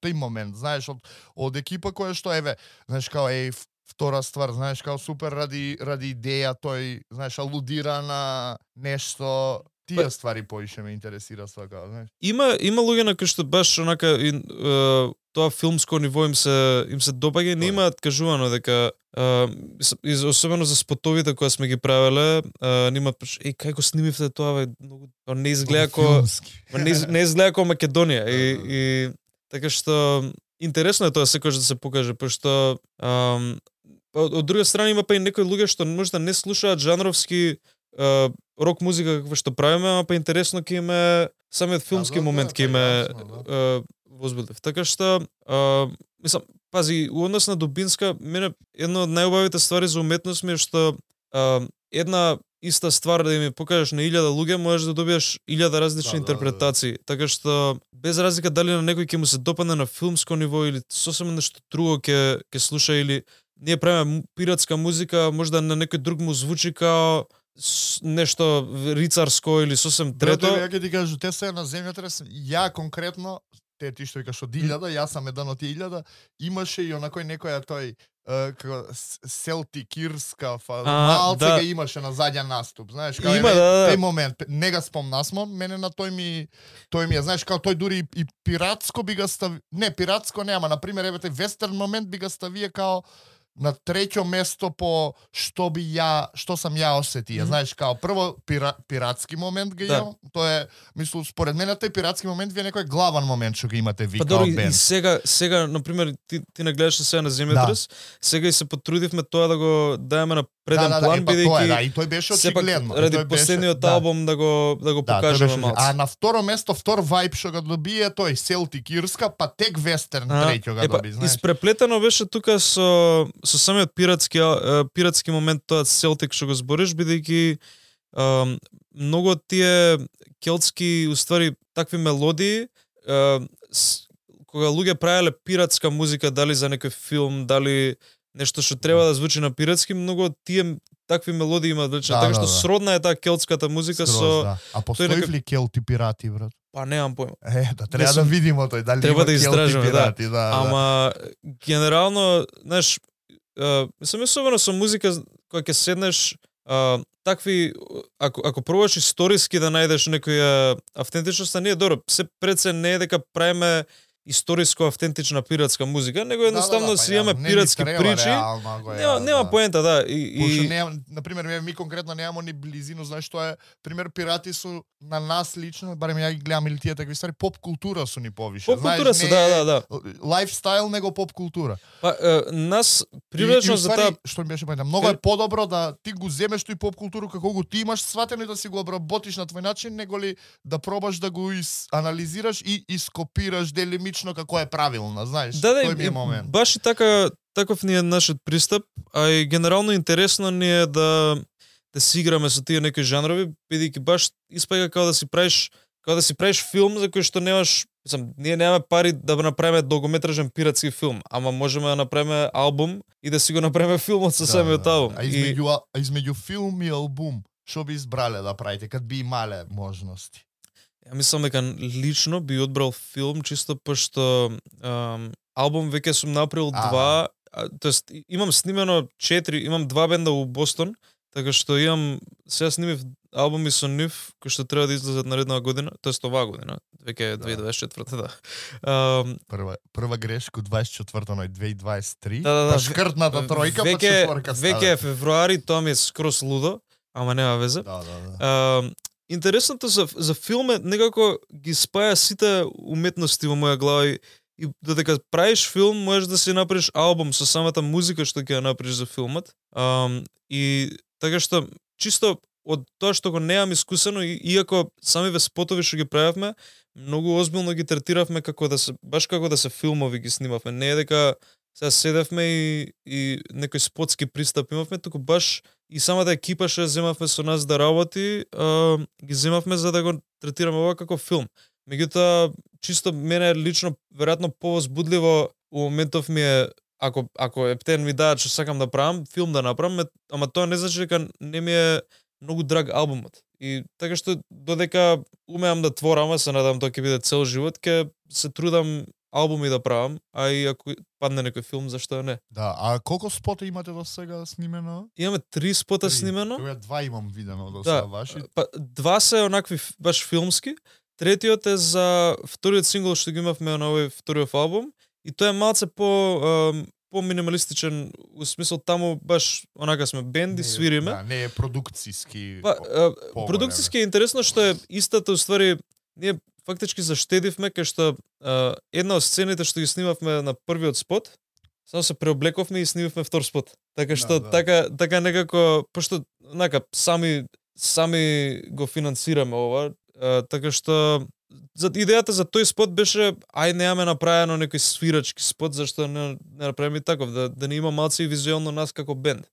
тој момент, знаеш, од екипа која што, еве, знаеш, као, втора ствар, знаеш, као супер ради идеја, тој, знаеш, алудира на нешто. Тие ствари поише ме интересира свака, знаеш. Има луѓе на кои што баш онака тоа филмско ниво им се допаѓа, не имаат кажувано дека особено за спотовите кои сме ги правеле, немаат кај го снимивте тоа, многу не изгледа како не изгледа како Македонија и така што интересно е тоа секогаш да се покаже, пошто од друга страна има па и некои луѓе што можда не слушаат жанровски рок музика каква што правиме, ама па интересно ќе име самиот филмски момент ќе име возбудив. Така што мислам, пази, у однос на дубинска, мене една од најубавите ствари за уметност ми е што една иста ствар да ми покажеш на 1000 луѓе, можеш да добиеш 1000 различни интерпретации. Така што без разлика дали на некој ќе му се допадне на филмско ниво или сосема нешто друго ќе слуша, или ние правиме пиратска музика, можда на некој друг му звучи као нешто рицарско или сосем трето. Ја ќе ти кажу, те се на земјотрес, ја конкретно, ти што викаш од 1000, јас сам еден од 1000, имаше и онакој некоја тој како селтикирска малце га имаше на заден наступ, знаеш, као тој момент, не га спомнасмо, мене на тој ми е, знаеш, као тој дури и пиратско би га стави, не, пиратско нема, на пример, еве тој вестерн момент би га ставија као на треќо место по што сам ја осетија. Знаеш, као прво пиратски момент га имам, тоа е, мислам, според мене тој пиратски момент ви е некој главен момент што го имате ви као бенд. И сега, например, ти нагледаше сега на земјотрес, сега и се потрудивме тоа да го даеме на преден план, бидејќи и тој беше очигледно. Ради последниот албум да го покажеме малку. А на второ место, втор вајб што го добие тој Селтик Ирска, па тек вестерн треќо го доби, знаеш. Испреплетено беше тука со самиот пиратски момент тоа Селтик што го збориш, бидејќи многу од тие келтски уствари такви мелодии кога луѓе правеле пиратска музика, дали за некој филм, дали нешто што треба да звучи на пиратски, многу од тие такви мелодии имаат вечна, така што сродна е таа келтската музика со... А постои ли келти пирати, брат? Па немам појма. Да треба да видиме тој, дали треба има да истражиме, пирати, Ама генерално, знаеш, мислам особено со музика која ќе седнеш, такви, ако пробаш историски да најдеш некоја автентичност, не е добро. Се пред се не е дека правиме историско автентична пиратска музика, него едноставно си имаме пиратски причи. Нема поента, да. Пошто нема, на пример, ми конкретно немамо ни близину, знаеш што е, пример пирати су на нас лично, барем ја ги гледам или тие такви стари, поп култура су ни повише. Поп култура се, да. Лайфстайл него поп култура. Па нас привлечно за таа, што ми беше поента, многу е подобро да ти го земеш тој поп културу како го ти имаш сватено и да си го обработиш на твој начин, него ли да пробаш да го анализираш и ископираш делимично како е правилно, знаеш, тој ми е момент. Баш и таков ни е нашиот пристап, а и генерално интересно ни е да си играме со тие некои жанрови, бидејќи баш испаѓа како да си правиш филм за кој што немаш, ние немаме пари да направиме долгометражен пиратски филм, ама можеме да направиме албум и да си го направиме филмот со самиот албум. А измеѓу филм и албум, што би избрале да правите, кад би имале можности? Ја мислам дека лично би одбрал филм, чисто пошто албум веќе сум направил 2, тоест имам снимено 4, имам 2 бенда у Бостон, така што сега снимив албуми со нив кои што треба да излезат наредната година, тоест оваа година, веќе е 2024, да. Прва грешка 24-то на 2023. Да. Шкртната тројка, па четворка става. Веќе е февруари, тоа ми е скрос лудо, ама нема везе. Да. Интересното за филм е некако ги спаја сите уметности во моја глава и додека правиш филм, можеш да си направиш албум со самата музика што ќе ја направиш за филмот. И така што чисто од тоа што го неам искусено, иако самиве спотови што ги правевме, многу озбилно ги третиравме како да се филмови ги снимавме. Не е дека сега седевме и некој спотски пристап имавме, туку баш и самата екипа што земавме со нас да работи, ги земавме за да го третираме ова како филм. Меѓутоа, чисто мене лично веројатно повозбудливо у моментов ми е ако ептен ми даат што сакам да правам, филм да направам, ама тоа не значи дека не ми е многу драг албумот. И така што додека умеам да творам, се надам тоа ќе биде цел живот, ќе се трудам албуми да правам, а и ако падне некој филм, зашто не? Да, а колку спота имате до сега снимено? Имаме 3 спота снимено. Тоа 2 имам видено до сега ваши. Па 2 се онакви баш филмски. Третиот е за вториот сингл што го имавме на овој вториот албум и тоа е малце по минималистичен, у смисол таму баш онака сме бенди, свириме. Да, не е продукциски. Продукциски е интересно што е истата уствари ние фактички заштедивме кај што една од сцените што ги снимавме на првиот спот, само се преоблековме и снимавме втор спот. Така што така некако пошто онака сами го финансираме ова, така што за идејата за тој спот беше немаме направено некој свирачки спот, зашто не направиме таков да не има малце и визуелно нас како бенд.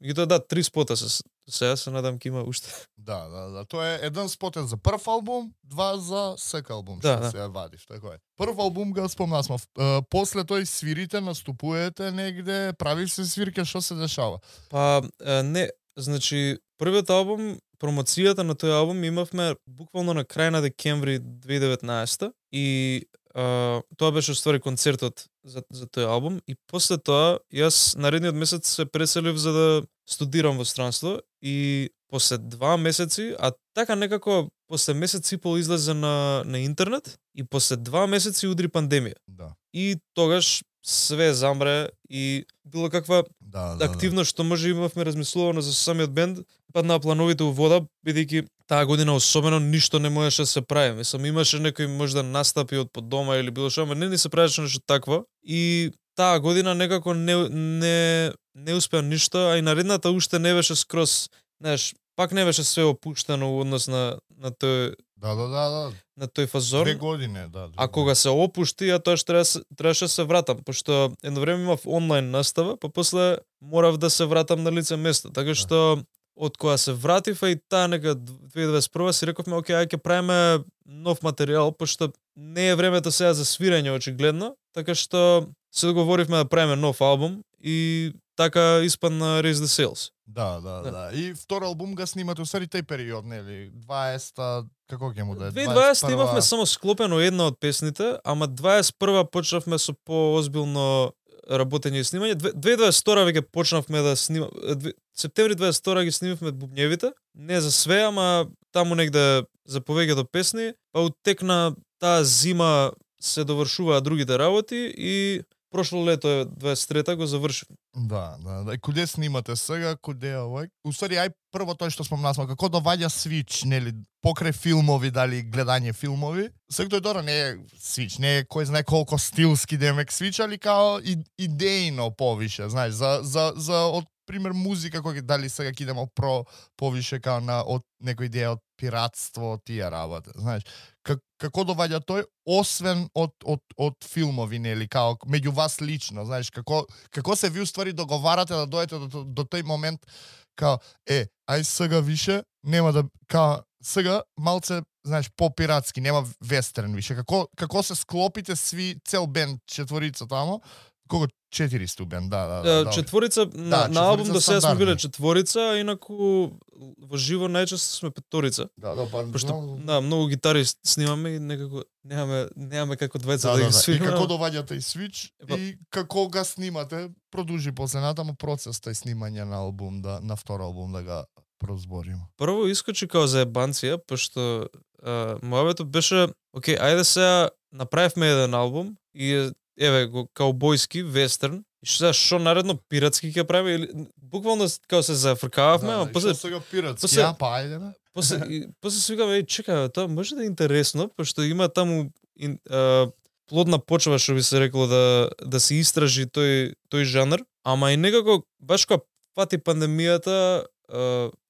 И тоа 3 спота сега се надам ќе има уште. Да. Тоа е еден спот е за прв албум, 2 за сек албум што се вадиш, така е. Прв албум го спомнасме. После тој свирите, наступувате негде, правиш се свирке, што се дешава? Па не, значи првиот албум, промоцијата на тој албум имавме буквално на крај на декември 2019 и тоа беше уствари концертот за тој албум и после тоа јас наредниот месец се преселив за да студирам во странство и после 2 месеци, а така некако после месец и пол излезе на интернет и после 2 месеци удри пандемија. Да. И тогаш све замре и било каква активност што може имавме размислувано за самиот бенд, паднаа плановите у вода, бидејќи таа година особено ништо не можеше да се прави. Мислам, имаше некои можда настапи од под дома или било што, ама не ни се правеше нешто такво. И таа година некако не успеа ништо, а и наредната уште не беше скроз, знаеш, пак не беше све опуштено во однос на тој на тој фазон. 2 години, да. А кога се опушти, ја тоа требаше да се вратам, пошто едно време имав онлайн настава, па после морав да се вратам на лице место. Така што од кога се вратив и таа нека 2021 си рековме, окей, ќе правиме нов материјал, пошто не е времето сега за свирење очигледно, така што се договоривме да правиме нов албум и така испадна Raise the Sails. Да. И втор албум го снимате усари тој период, нели? 20-та, како ќе му да е? 2020 имавме само склопено една од песните, ама 21 почнавме со поозбилно работење и снимање. 2022 веќе почнавме да снимаме. Септември 22 ги снимавме бубњевите. Не за све, ама таму негде за повеќето песни, па утекна таа зима се довршуваа другите работи и прошло лето е 23-та го завршивме. Да. И куде снимате сега, куде овој? Усари ај прво тоа што спомнавме, како доваѓа свич, нели, покрај филмови, дали гледање филмови. Сега тој дора не е свич, не е кој знае колку стилски демек свич, али као идејно повише, знаеш, за од пример музика кој дали сега ќе идемо повише као на од некој идеја од пиратство, од тие работи, знаеш. Како доваѓа тој, освен од филмови, нели, као меѓу вас лично, знаеш, како се ви уствари договарате да дојдете до тој момент, као, ај сега више, нема да, као, сега малце, знаеш, по-пиратски, нема вестерн више, како се склопите сви, цел бенд, четворица тамо, колку 4 стубен, да. Четворица на албум до сега сме биле четворица, а инаку во живо најчесто сме петорица. Пошто многу гитари снимаме и некако немаме како двајца да ги свираме. И како доваѓате и свич и како го снимате, продолжи после натаму процес тој снимање на албум, на втор албум да го прозборим. Прво искочи као заебанција, пошто мојавето беше, окей, ајде сега направивме еден албум и еве го каубојски вестерн. И што наредно пиратски ќе правиме или буквално као се зафркававме, ама после сега пиратски, па ајде бе. После свикаме, чекај, тоа може да е интересно, пошто има таму плодна почва, што би се рекло да се истражи тој жанр, ама и некако баш кога фати пандемијата,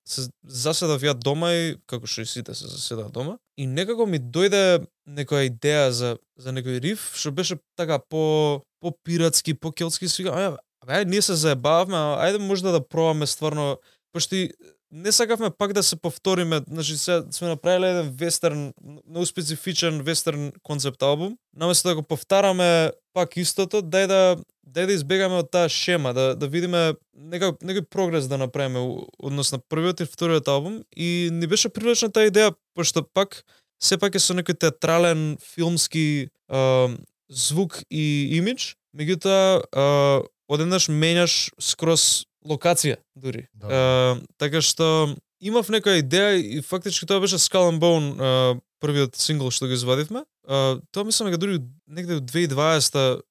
се заседав ја дома и како што и сите се заседав дома и некако ми дојде некоја идеја за некој риф што беше така по пиратски, по келтски, свика, ајде ние се заебавме, ајде можда да пробаме стварно, пошто и не сакавме пак да се повториме, значи сега сме направиле еден вестерн, многу специфичен вестерн концепт албум, наместо да го повтараме пак истото, дај да избегаме од таа шема, да видиме некој прогрес да направиме однос на првиот и вториот албум и ни беше привлечна таа идеја, пошто пак сепак е со некој театрален, филмски звук и имидж, меѓутоа одеднаш менјаш скроз локација дури. Така што имав некоја идеја и фактички тоа беше Skull and Bone, првиот сингл што го извадивме. Тоа мислам дека дури негде од 2020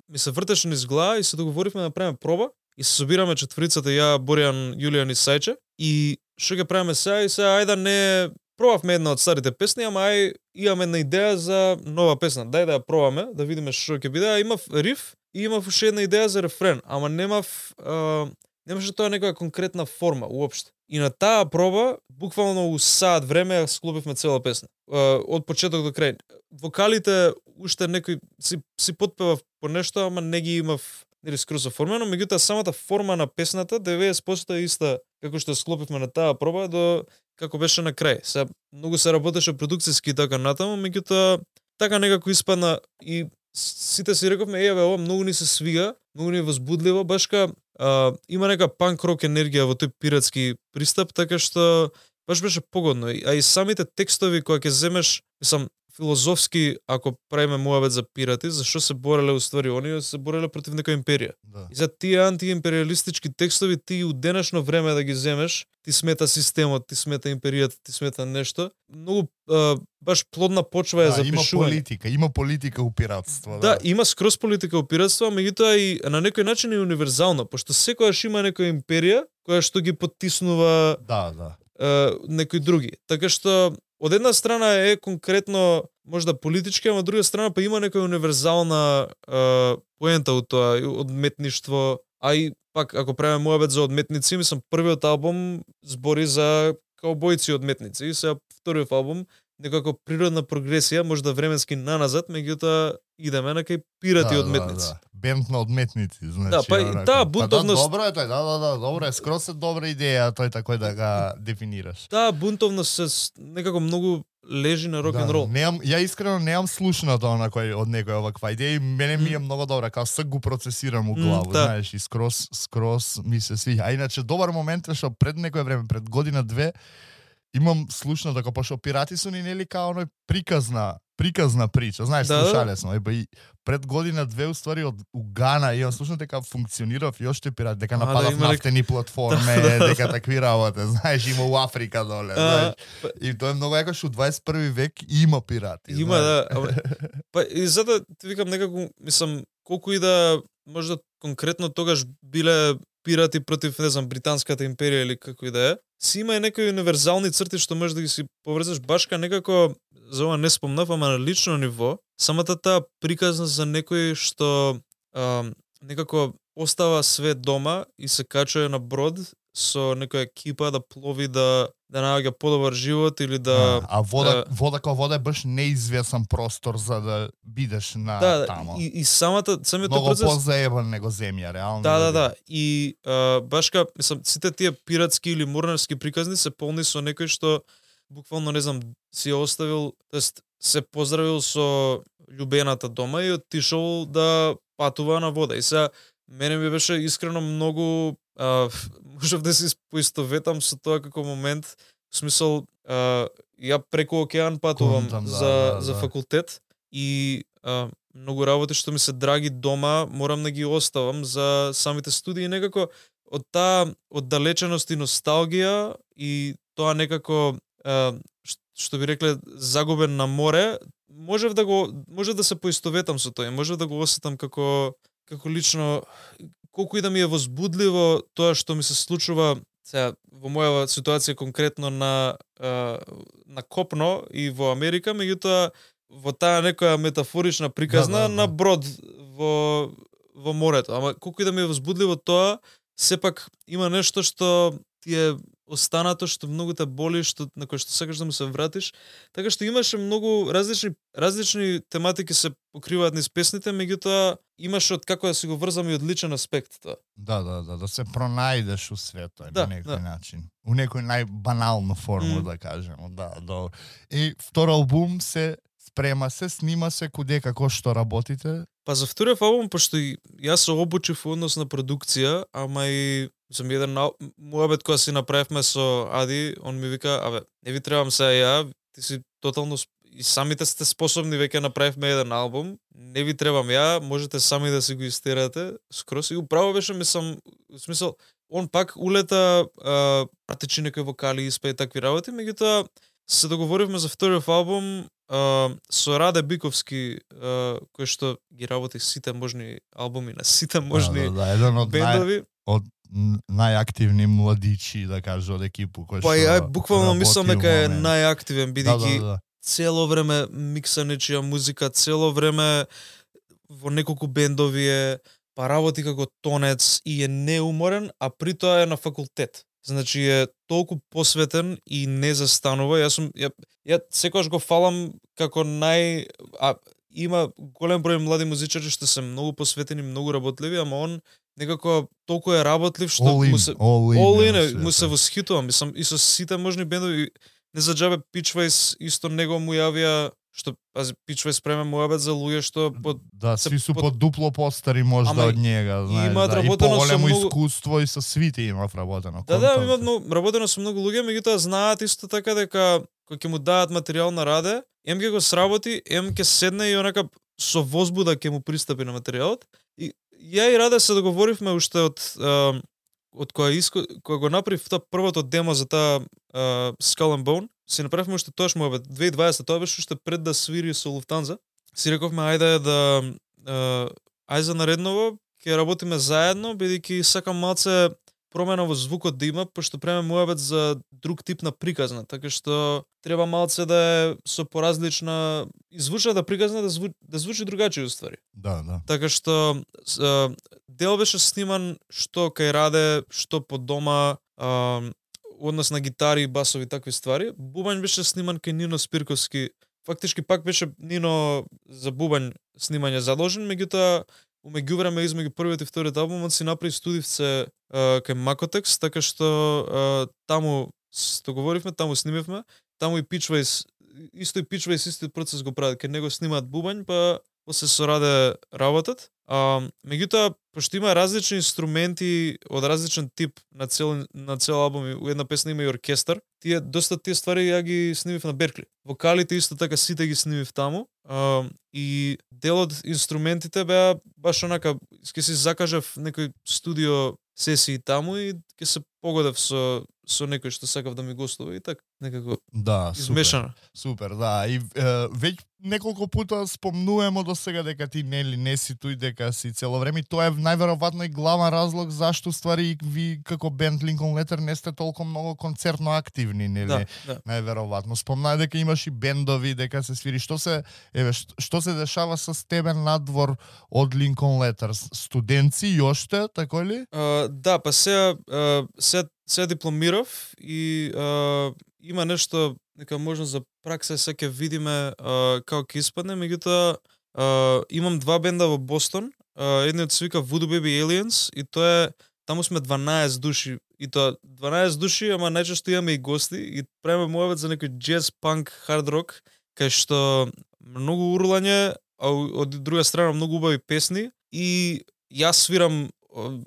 ми се вртеше низ глава и се договоривме да направиме проба и се собираме четворицата, ја, Боријан, Јулијан и Сајче и што ќе правиме сега и сега ајде не пробавме една од старите песни, ама имаме една идеја за нова песна. Дај да ја пробаме, да видиме што ќе биде. Имав риф и имав уште една идеја за рефрен, ама немаше тоа некоја конкретна форма уопште. И на таа проба, буквално у саат време склопивме цела песна. Од почеток до крај. Вокалите уште некој си потпевав по нешто, ама не ги имав нели скроз оформено, меѓутоа самата форма на песната 90% е иста како што склопивме на таа проба до како беше на крај. Сега многу се работеше продукцијски така натаму, меѓутоа така некако испадна и сите си рековме ова многу ни се свига, многу ни е возбудливо, башка има нека панк рок енергија во тој пиратски пристап, така што баш беше погодно. А и самите текстови кои ќе земеш, мислам, филозофски, ако правиме муавет за пирати, зашо се бореле уствари оние, се бореле против некоја империја. Да. И за тие антиимпериалистички текстови ти у денешно време да ги земеш, ти смета системот, ти смета империјата, ти смета нешто. Многу баш плодна почва е за пишување. Има политика у пиратство. Да, има скроз политика у пиратство, меѓутоа и на некој начин е универзално, пошто секогаш има некоја империја која што ги поттиснува некои други. Така што од една страна е конкретно можда политички, а од друга страна па има некоја универзална поента од тоа, одметништво, а и пак ако правиме муабет за одметници, мислам првиот албум збори за каубојци одметници и сега вториот албум некако природна прогресија, можда временски наназад, меѓутоа идеме на кај пирати одметници. Бенд на одметници, значи. Да, па и таа бунтовност. Добро е тој, добро е, скроз е добра идеја тој тако да га дефинираш. Таа бунтовност се некако многу лежи на рок н рол. Ја искрено немам слушнато од некој оваква идеја и мене ми е многу добра, као се го процесирам у глава, знаеш, и скрос ми се свиѓа. А иначе добар момент е што пред некој време, пред година-две, имам слушнато дека пошто пирати су ни нели као оној приказна прича, знаеш, слушале смо, и пред година-две уствари од Гана имам слушнато дека функционирав и оште пират, дека нападав нафтени платформи, дека такви работи, знаеш, има у Африка доле, знаеш. И тоа е многу јако што у 21 век има пирати. Има, да. Па и затоа ти викам некако, мислам, колку и да можда конкретно тогаш биле пирати против, не знам, британската империја или како и да е, си има и некои универзални црти што можеш да ги си поврзаш башка некако, за ова не спомнав, ама на лично ниво, самата таа приказна за некој што некако остава све дома и се качува на брод со некоја екипа да плови да наоѓа подобар живот или да вода како вода е баш неизвесен простор за да бидеш на тамо. И самиот процес многу позаебан него земја, реално. Да. И башка, мислам, сите тие пиратски или морнарски приказни се полни со некој што буквално, не знам, си оставил, тоест се поздравил со љубената дома и отишол да патува на вода. И сега мене ми беше искрено многу можев да се поистоветам со тоа како момент, в смисол ја преку океан патувам за факултет и многу работи што ми се драги дома морам да ги оставам за самите студии, некако од таа оддалеченост и носталгија и тоа некако што би рекле загубен на море, може да се поистоветам со тоа, може да го осетам како лично, колку и да ми е возбудливо тоа што ми се случува сега во моја ситуација конкретно на копно и во Америка, меѓутоа во таа некоја метафорична приказна на брод во морето. Ама колку и да ми е возбудливо тоа, сепак има нешто што ти е останато, што многу те боли, на кој што сакаш да му се вратиш. Така што имаше многу различни тематики се покриваат низ песните, меѓутоа имаше од како да си го врзам и од личен аспект тоа. Да се пронајдеш у светот на некој начин. У некој најбанална форма, да кажеме. Да. И втор албум се спрема се, снима се, куде како што работите? Па за вториот албум, пошто јас се обучив во однос на продукција, ама и сам еден муабет која си направивме со Ади, он ми вика, не ви требам сега ја, ти си тотално и самите сте способни, веќе направивме еден албум, не ви требам ја, можете сами да си го истерате, скрос и управо беше, мислам, в смисол, он пак улета, пратичи некои вокали, испеи такви работи, меѓутоа се договоривме за вториот албум со Раде Биковски, кој што ги работи сите можни албуми на сите можни еден од бендови. Од најактивни младичи, да кажа, од екипу кој што па ја буквално мислам дека е најактивен, бидејќи цело време микса нечија музика, цело време во неколку бендови е, па работи како тонец и е неуморен, а при тоа е на факултет. Значи е толку посветен и не застанува. Ја секогаш го фалам како има голем број млади музичари што се многу посветени, многу работливи, ама он некако толку е работлив што му се восхитувам. Мислам и со сите можни бендови, не за џабе Pitchways исто него му јавија што пази Pitchways преме муабет за луѓе што сви су под дупло постари можда од njega, знаеш, и поголемо искуство и со свите имав работено. Има работено со многу луѓе, меѓутоа знаат исто така дека кога ќе му дадат материјал на Раде, ќе го сработи, ќе седне и онака со возбуда ќе му пристапи на материјалот. И ја и Раде се договоривме уште од кога го направив тоа првото демо за таа Skull and Bone, си направивме уште тоаш муабет 2020, тоа беше уште пред да свири со Lufthansa. Си рековме ајде за наредново ќе работиме заедно, бидејќи сакам малце промена во звукот да има, пошто преме муабет за друг тип на приказна, така што треба малце да е со поразлична звучната приказна да звучи другачи уствари. Да. Така што дел беше сниман што кај Раде, што по дома, однос на гитари, басови, такви ствари. Бубањ беше сниман кај Нино Спирковски. Фактички пак беше Нино за бубањ снимање задолжен, меѓутоа умеѓувреме измеѓу првиот и вториот албумот си направи студивце кај Макотекс, така што таму се договоривме, таму снимивме, таму и Pitchways исто и пичва и истиот процес го прават, кај него снимаат бубањ, па после со Раде работат. Меѓутоа, пошто има различни инструменти од различен тип на цел албум, у една песна има и оркестар, доста тие ствари ја ги снимив на Беркли. Вокалите исто така сите ги снимив таму, и дел од инструментите беа баш онака, ќе си закажав некој студио сесии таму и ќе се погодев со некој што сакав да ми гостува и така некако измешано. Супер, да. И веќе неколку пута спомнуваме до сега дека ти не си тој, дека си цело време. Тоа е најверојатно и главен разлог зашто ствари ви како бенд Lincoln Letter не сте толку многу концертно активни, нели? Да. Најверојатно. Спомнаа дека имаш и бендови, дека се свири. Што се дешава со тебе надвор од Lincoln Letter? Студенци и оште, така ли? Да, па сега дипломирав и има нешто, нека можност за пракса се ќе видиме како ќе испадне, меѓутоа имам два бенда во Бостон, едниот се вика Voodoo Baby Aliens и тоа е, таму сме 12 души и тоа 12 души, ама најчесто имаме и гости и правиме муавет за некој джез, панк, хард рок, кај што многу урлање, а од друга страна многу убави песни и јас свирам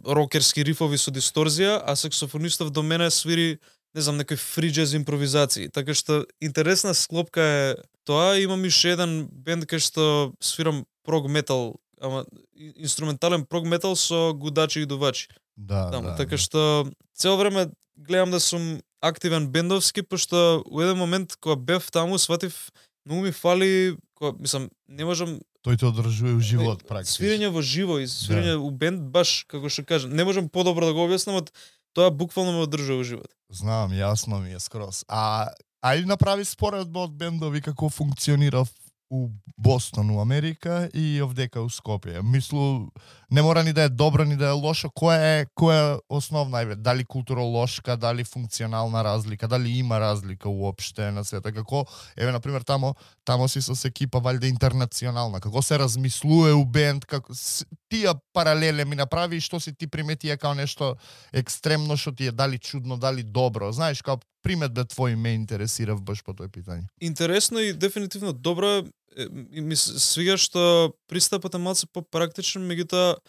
рокерски рифови со дисторзија, а саксофонистов до мене свири, не знам, некој фри джез импровизации. Така што интересна склопка е тоа. Имам уште еден бенд кај што свирам прог метал, ама инструментален прог метал со гудачи и дувачи. Да. Така што цело време гледам да сум активен бендовски, пошто у еден момент кога бев таму сватив многу ми фали, мислам, не можам тој те одржува у живот практично. Свирење во живо и свирење у бенд баш како што кажам, не можам подобро да го објаснам, од тоа буквално ме одржува у живот. Знам, јасно ми е скроз. Ајде направи споредба од бендови како функционира у Бостон, у Америка и овдека у Скопје. Мислу, не мора ни да е добро, ни да е лошо. Која е основна, дали културолошка, дали функционална разлика, дали има разлика уопште на света? Како, например, тамо си со екипа валјде интернационална. Како се размислува у бенд, како тие паралеле ми направи, што си ти приметија као нешто екстремно што ти е дали чудно, дали добро. Знаеш, као приметбе твои ме интересира баш по тој питање. Интересно и дефинитивно добро. Ми свига што пристапот е малку попрактичен, меѓутоа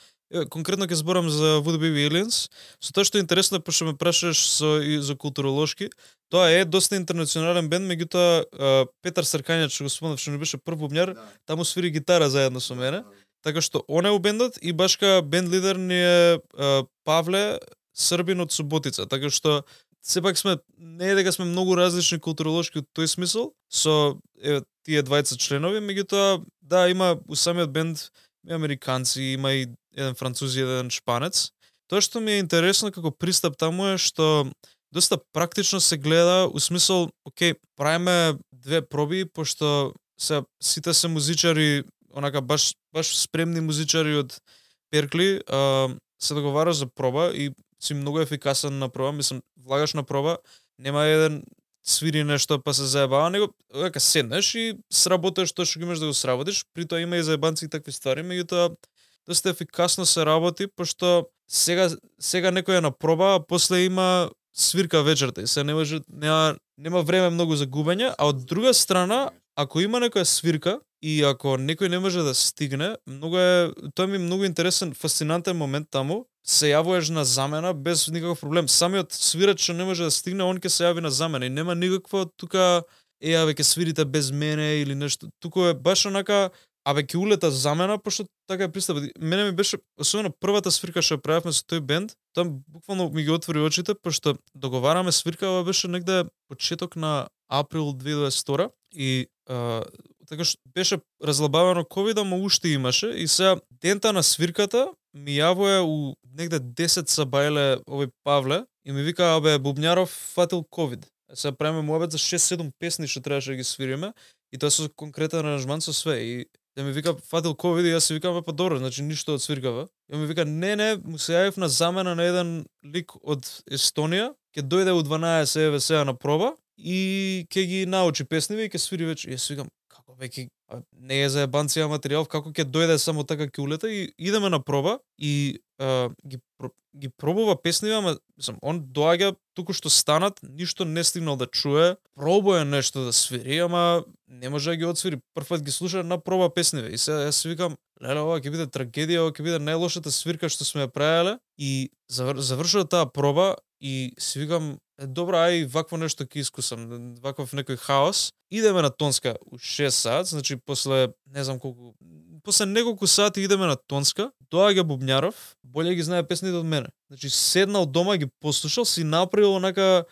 конкретно ќе зборам за Voodoo Baby Aliens. Со тоа што е интересно, пошто ме прашаш за културолошки, тоа е доста интернационален бенд, меѓутоа Петар Сркањач, што го спомнав, што не беше прв бубњар, таму свири гитара заедно со мене. Така што он е у бендот и башка бенд лидер ни е Павле, Србин од Суботица. Така што сепак сме, не е дека сме многу различни културолошки од тој смисол, со тие 20 членови, меѓутоа, да, има у самиот бенд и американци, има и еден француз и еден шпанец. Тоа што ми е интересно како пристап таму е што доста практично се гледа, у смисол, окей, правиме две проби, пошто сите се музичари, онака баш спремни музичари од Беркли, се договара за проба и си многу ефикасен на проба, мислам, влагаш на проба, нема еден свири нешто па се заебава, него дека седнеш и сработиш тоа што имаш да го сработиш, при тоа има и заебанци и такви ствари, меѓутоа доста ефикасно се работи, пошто сега некој е на проба, а после има свирка вечерта и се нема време многу за губење, а од друга страна, ако има некоја свирка и ако некој не може да стигне, тоа ми е многу интересен, фасцинантен момент таму, се јавуваш на замена без никаков проблем. Самиот свирач што не може да стигне, он ќе се јави на замена и нема никакво тука веќе свирите без мене или нешто. Туку е баш онака, ќе улета замена, пошто така е пристапот. Мене ми беше, особено првата свирка што правевме со тој бенд, тоа буквално ми ги отвори очите, пошто договараме свирка, ова беше негде почеток на април 2022 и така што беше разлабавено ковид, ама уште имаше и сега дента на свирката ми јавува у негде 10 сабајле овој Павле и ми вика, бубњаров фатил ковид. Сега правиме муабет за 6-7 песни што требаше да ги свириме и тоа со конкретен аранжман со све и да ми вика фатил ковид и јас си викам па добро, значи ништо од свиркава. И ми вика не, му се јавив на замена на еден лик од Естонија, ќе дојде у 12 сега на проба и ќе ги научи песниве и ќе свири веќе. И јас викам како веќе не е за ебанција материјал, како ќе дојде само така ќе улета и идеме на проба и ги пробува песниве, ама мислам, он доаѓа туку што станат, ништо не стигнал да чуе, пробува нешто да свири, ама не може да ги отсвири. Прв пат ги слуша на проба песниве и сега јас си викам, леле, ова ќе биде трагедија, ова ќе биде најлошата свирка што сме ја правеле и завршува таа проба и си викам, добро, ај вакво нешто ќе искусам, ваков некој хаос. Идеме на Тонска у 6 сат, значи после не знам колку, после неколку сати идеме на Тонска, доаѓа Бубњаров, боле ги знае песните од мене. Значи седнал дома, ги послушал, си направил онака,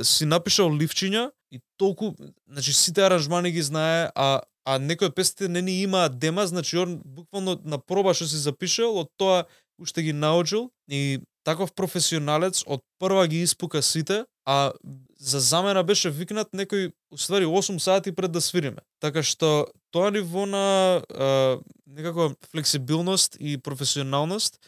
си напишал ливчиња и толку, значи сите аранжмани ги знае, а некои од песните не ни имаат дема, значи он буквално на проба што си запишал, од тоа уште ги научил и таков професионалец од прва ги испука сите, а за замена беше викнат некој уствари 8 сати пред да свириме. Така што тоа ниво на некако флексибилност и професионалност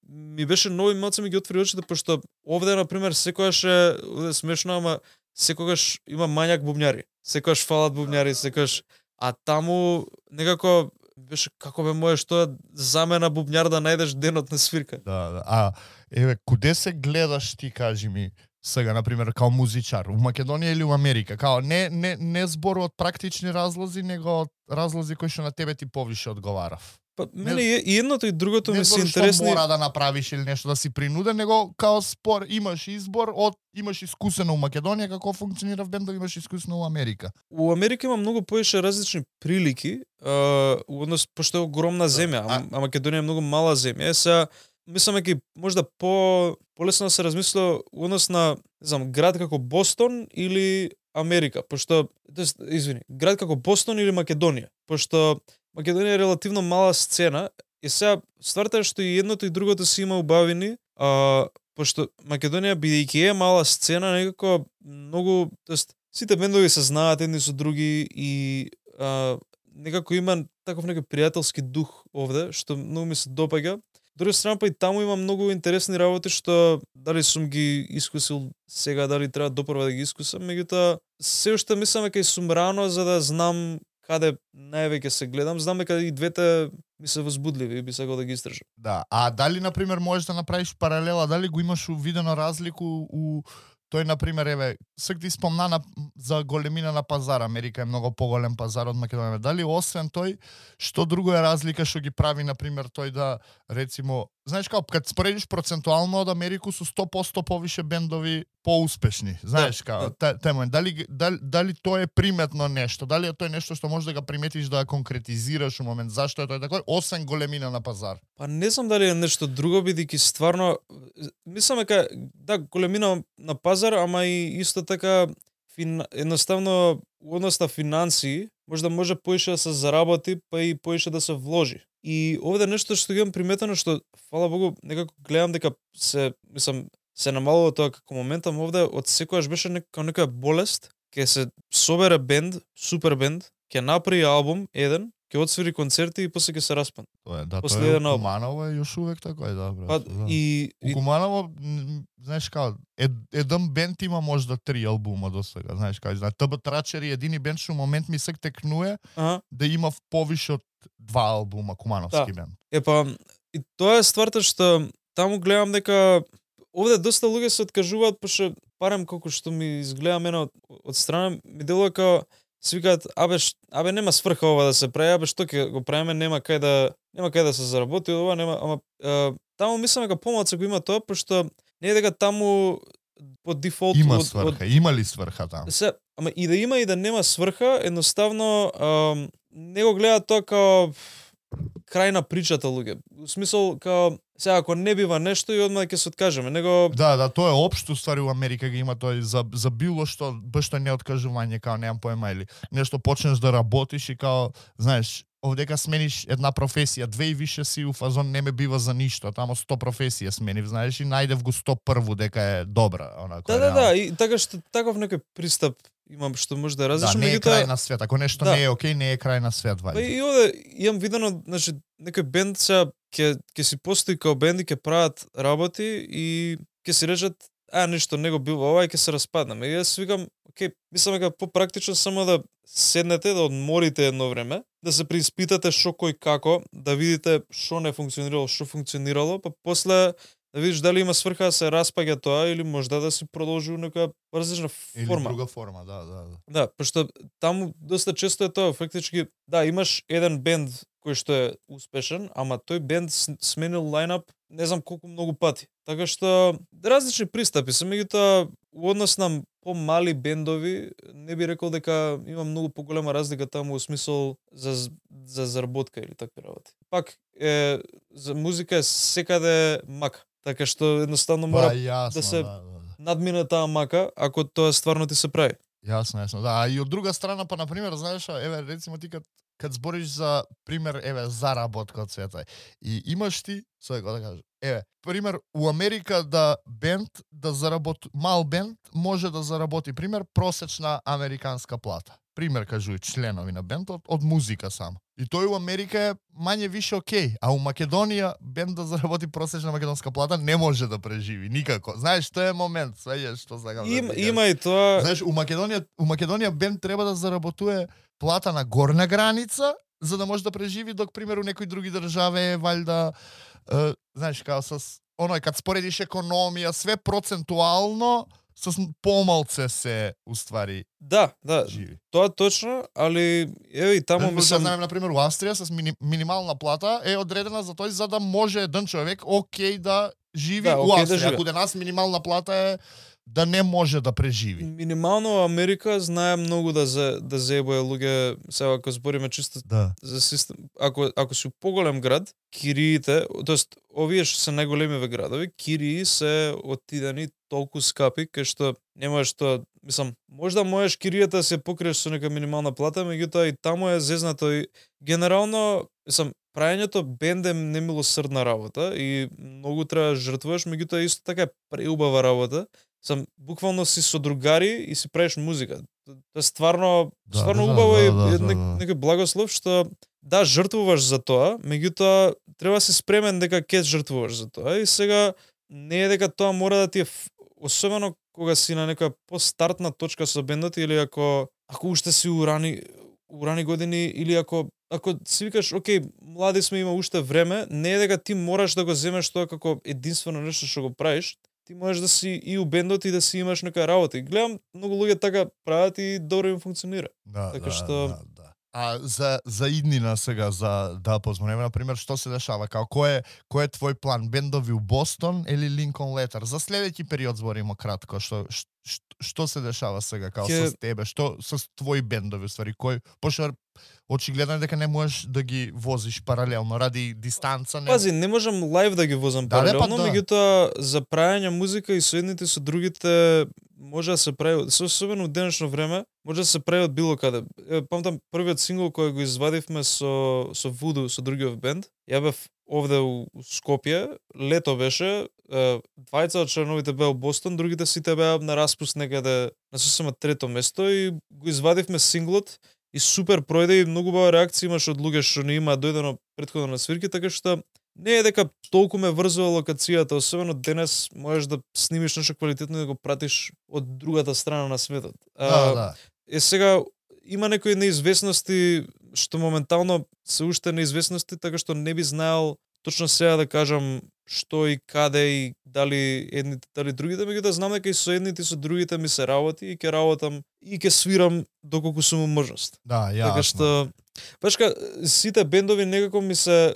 ми беше нови, малце ми ги отвори очите, пошто овде на пример секогаш е смешно, ама секогаш има мањак бубњари. Секогаш фалат бубњари, секогаш, а таму некако беше како бе можеш тоа замена бубњар да најдеш денот на свирка. Да. А еве куде се гледаш ти, кажи ми, сега на пример као музичар, у Македонија или у Америка? Као не збор од практични разлози, него од разлози кои што на тебе ти повише одговарав. Па мене и едното и другото ми се интересни. Не интересни. што мора да направиш или нешто да си принуден, него као спор имаш избор имаш искусено у Македонија како функционира в бендови, имаш искусено у Америка. У Америка има многу повеќе различни прилики, однос пошто е огромна земја, а Македонија е многу мала земја. Сега мислам дека можда полесно да се размисла однос на, не знам, град како Бостон или Америка, пошто град како Бостон или Македонија, пошто Македонија е релативно мала сцена и сега стварта е што и едното и другото си има убавини, пошто Македонија бидејќи е мала сцена некако многу, тоест сите бендови се знаат едни со други и некако има таков некој пријателски дух овде што многу ми се допаѓа. Друга страна па и таму има многу интересни работи што дали сум ги искусил сега, дали треба допрва да ги искусам, меѓутоа се уште мислам дека и сум рано за да знам каде највеќе се гледам, знам дека и двете ми се возбудливи и би сакал да ги истражам. Да, а дали на пример можеш да направиш паралела, дали го имаш увидено разлику у тој на пример еве, сак ти спомна за големина на пазар, Америка е многу поголем пазар од Македонија. Дали освен тој, што друго е разлика што ги прави на пример тој да рецимо, знаеш како кад споредиш процентуално од Америку со 100% повише бендови поуспешни. Знаеш како тема, дали тоа е приметно нешто, дали е тоа нешто што можеш да го приметиш да конкретизираш у момент, зашто е тоа такој освен големина на пазар? Па не знам дали е нешто друго, бидејќи стварно мислам дека да, големина на пазар, ама и исто така едноставно однос на финансии, може поише да се заработи, па и поише да се вложи. И овде нешто што ги имам приметено, што фала Богу некако гледам дека се намалува тоа како моментам овде, од секогаш беше некоја болест, ќе се собере бенд, супер бенд, ќе направи албум еден, ќе отсвири концерти и после ќе се распадне. Тоа е, да, тоа е Куманово е још увек така е, да, брат. Па, да. И Куманово, знаеш како, еден бенд има можда 3 албума до сега, знаеш како, ТБ Трачер и едини бенд што момент ми се текнуе да има повише од 2 албума кумановски бенд. Епа, и тоа е стварта што таму гледам дека овде доста луѓе се откажуваат, пошто барем колку што ми изгледа мене од страна, ми делува како си викаат, абе нема сврха ова да се прави, абе што ќе го правиме, нема кај да се заработи ова, нема, ама таму мислам дека помалку го има тоа, пошто не е дека таму по дефолт има сврха, има ли сврха таму? Ама и да има и да нема сврха, едноставно не го гледаат тоа како крај на причата луѓе. В смисол као сега ако не бива нешто и одма ќе се откажеме, него Да, тоа е општо ствари у Америка ги има тоа за било што башто не откажување, као немам поема или нешто почнеш да работиш и као знаеш, овдека смениш една професија, 2 и више си у фазон не ме бива за ништо, тамо 100 професија сменив, знаеш, и најдев го 101 дека е добра, онако. Да, и така што таков некој пристап имам што може да различно, да, не е крај на свет, ако нешто не е окей, не е крај на свет, вали. Па и овде имам видено, значи некој бенд сега ќе си постои као бенд и ќе прават работи и ќе си речат ништо не го бива ова и ќе се распаднеме. И јас викам, окей, мислам дека попрактично само да седнете, да одморите едно време, да се преиспитате што кој како, да видите што не функционирало, што функционирало, па после да видиш дали има сврха да се распаѓа тоа или можда да си продолжи у некоја различна форма. Или друга форма, да. Да, пошто таму доста често е тоа, фактички, да, имаш еден бенд кој што е успешен, ама тој бенд сменил лајнап не знам колку многу пати. Така што различни пристапи се, меѓутоа у однос на помали бендови не би рекол дека има многу поголема разлика таму во смисол за заработка или такви работи. Пак за музика е секаде мака. Така што едноставно мора да се надмине таа мака ако тоа стварно ти се прави. Јасно. Да, и од друга страна, па на пример, знаеш, еве рецимо ти кад збориш за пример, еве заработка од света. И имаш ти, сега да кажам, еве, пример у Америка да бенд да заработи, мал бенд може да заработи пример просечна американска плата. Пример кажуј членови на бендот од музика само. И тој у Америка е мање више окей, а у Македонија бенд да заработи просечна македонска плата не може да преживи никако. Знаеш, тоа е момент, свеѓаш што сакам. Има и тоа. Знаеш, у Македонија бенд треба да заработува плата на горна граница за да може да преживи, док примеру некои други држави валјда знаеш као со оној кад споредиш економија, све процентуално со помалце се уствари. Да, живи. Тоа точно, али еве и таму мислам на пример у Австрија со минимална плата е одредена за тој за да може еден човек окей да живи у Австрија. Ако денас минимална плата е да не може да преживи. Минимално Америка знае многу да заебува луѓе, сега ако збориме чисто за систем, ако си у поголем град, кириите, тоест овие што се најголемиве градови, кирии се отидени толку скапи кај што не можеш тоа, мислам, можда можеш киријата да се покриеш со нека минимална плата, меѓутоа и таму е зезнато и генерално, мислам, прајањето бенд е немилосрдна работа и многу треба да жртвуваш, меѓутоа исто така е преубава работа. Сам буквално си со другари и си правиш музика. Тоа е стварно убаво и некој благослов што да жртвуваш за тоа, меѓутоа треба си спремен дека ќе жртвуваш за тоа и сега не е дека тоа мора да ти е особено кога си на некоја постартна точка со бендот или ако уште си у рани години или ако си викаш окей, млади сме, има уште време, не е дека ти мораш да го земеш тоа како единствено нешто што го правиш. Ти можеш да си и у бендот и да си имаш нека работа. И гледам многу луѓе така прават и добро им функционира. Така што А за иднина сега да позмонеме на пример што се дешава, како кој е твој план, бендови у Бостон или Линкон Летер? За следеќи период збориме кратко, што се дешава сега како со тебе, што со твои бендови ствари, кој пошто очигледно дека не можеш да ги возиш паралелно ради дистанца. Пази, не можам лајв да ги возам паралелно, меѓутоа за прајање музика и со едните со другите може да се прави, особено во денешно време, може да се прави од било каде. Памтам првиот сингл кој го извадивме со Voodoo, со другиот бенд. Ја бев овде у Скопје, лето беше, двајца од членовите беа во Бостон, другите сите беа на распуст некаде на сосема трето место и го извадивме синглот и супер пројде и многу убава реакција имаш од луѓе што не имаат дојдено претходно на свирки, така што не е дека толку ме врзува локацијата, особено денес можеш да снимиш нешто квалитетно и да го пратиш од другата страна на светот. Сега има некои неизвестности што моментално се уште неизвестности, така што не би знаел точно сега да кажам што и каде и дали едните, дали другите, меѓутоа знам дека и со едните и со другите ми се работи и ќе работам и ќе свирам доколку сум во можност. Да, јасно. Така што башка сите бендови некако ми се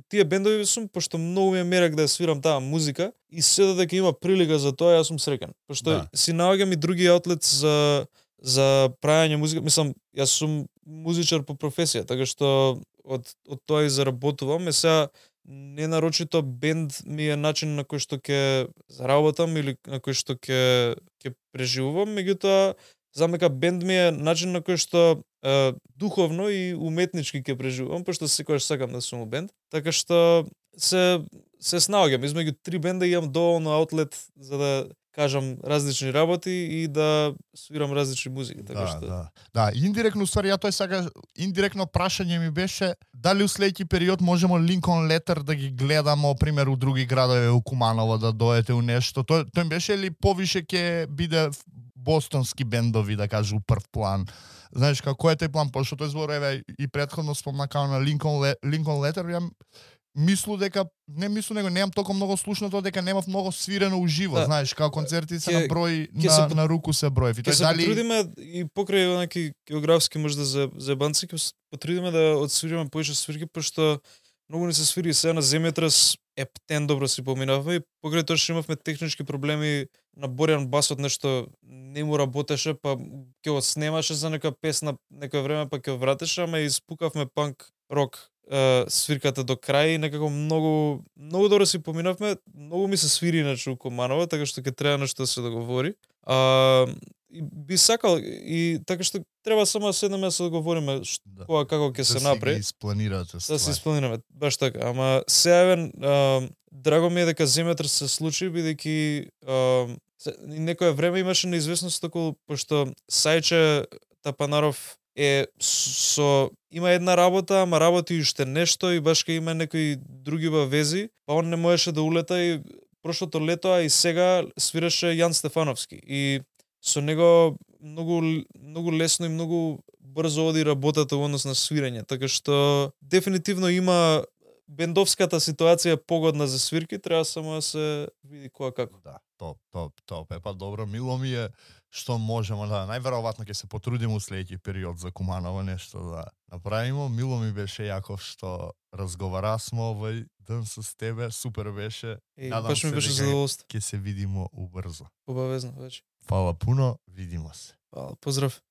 тие бендови сум пошто многу ми е мерак да свирам таа музика и се дека има прилика за тоа, јас сум среќен. Пошто си наоѓам и други аутлет за прајање музика. Мислам, јас сум музичар по професија, така што од тоа и заработувам. Сега не нарочито бенд ми е начин на кој што ќе заработам или на кој што ќе преживувам, меѓутоа знам дека бенд ми е начин на кој што духовно и уметнички ќе преживувам, пошто секогаш сакам да сум у бенд. Така што се снаоѓам измеѓу три бенда и имам доволно аутлет за да кажам различни работи и да свирам различни музики, така што. Да, индиректно ствари, тоа сега индиректно прашање ми беше дали у следеќи период можеме Линкон Летер да ги гледамо пример у други градови, у Куманово да доете у нешто. Тој беше ли повише ќе биде бостонски бендови, да кажу, прв план. Знаеш, како е тој план, пошто тој збор, еве, и претходно спомнакао на Lincoln Letter, ја мислу дека, не мислу, него немам толку многу слушнато, дека немав многу свирено уживо, Да. знаеш, како концерти се на број, ќе на руку се броев. И Ќе тој се дали... потрудиме и покрај онаки географски можда за банци, ќе се потрудиме да одсвириме поише свирки, пошто многу ни се свири сега на земјотрес, ептен добро си поминавме и покрај тоа што имавме технички проблеми на Борјан басот нешто не му работеше, па ќе го снемаше за нека песна некој време, па ќе вратеше, ама испукавме панк рок свирката до крај и некако многу добро си поминавме, многу ми се свири иначе у Куманово, така што ќе треба нешто да се договори. И би сакал и така што треба само да седнеме да се договориме кога како ќе се направи. Да си испланирате Да ствари. се испланираме, баш така. Ама сега еве драго ми е дека земјотрес се случи бидејќи некое време имаше неизвестност околу, пошто Сајче Тапанаров има една работа, ама работи уште нешто и баш кај има некои други вези, па он не можеше да улета и прошлото лето, а и сега свираше Јан Стефановски. И со него многу лесно и многу брзо оди работата во однос на свирење, така што дефинитивно има бендовската ситуација погодна за свирки, треба само да се види кога како. Да, топ. Епа добро, мило ми е што можеме да најверојатно ќе се потрудиме у следеќи период за Куманово нешто да направиме. Мило ми беше Јаков што разговарасме овој ден со тебе, супер беше. Надам Баш ми се беше дека задоволство. ќе се видиме убрзо. Обавезно веќе. Фала пуно, видиме се. Фала, поздрав.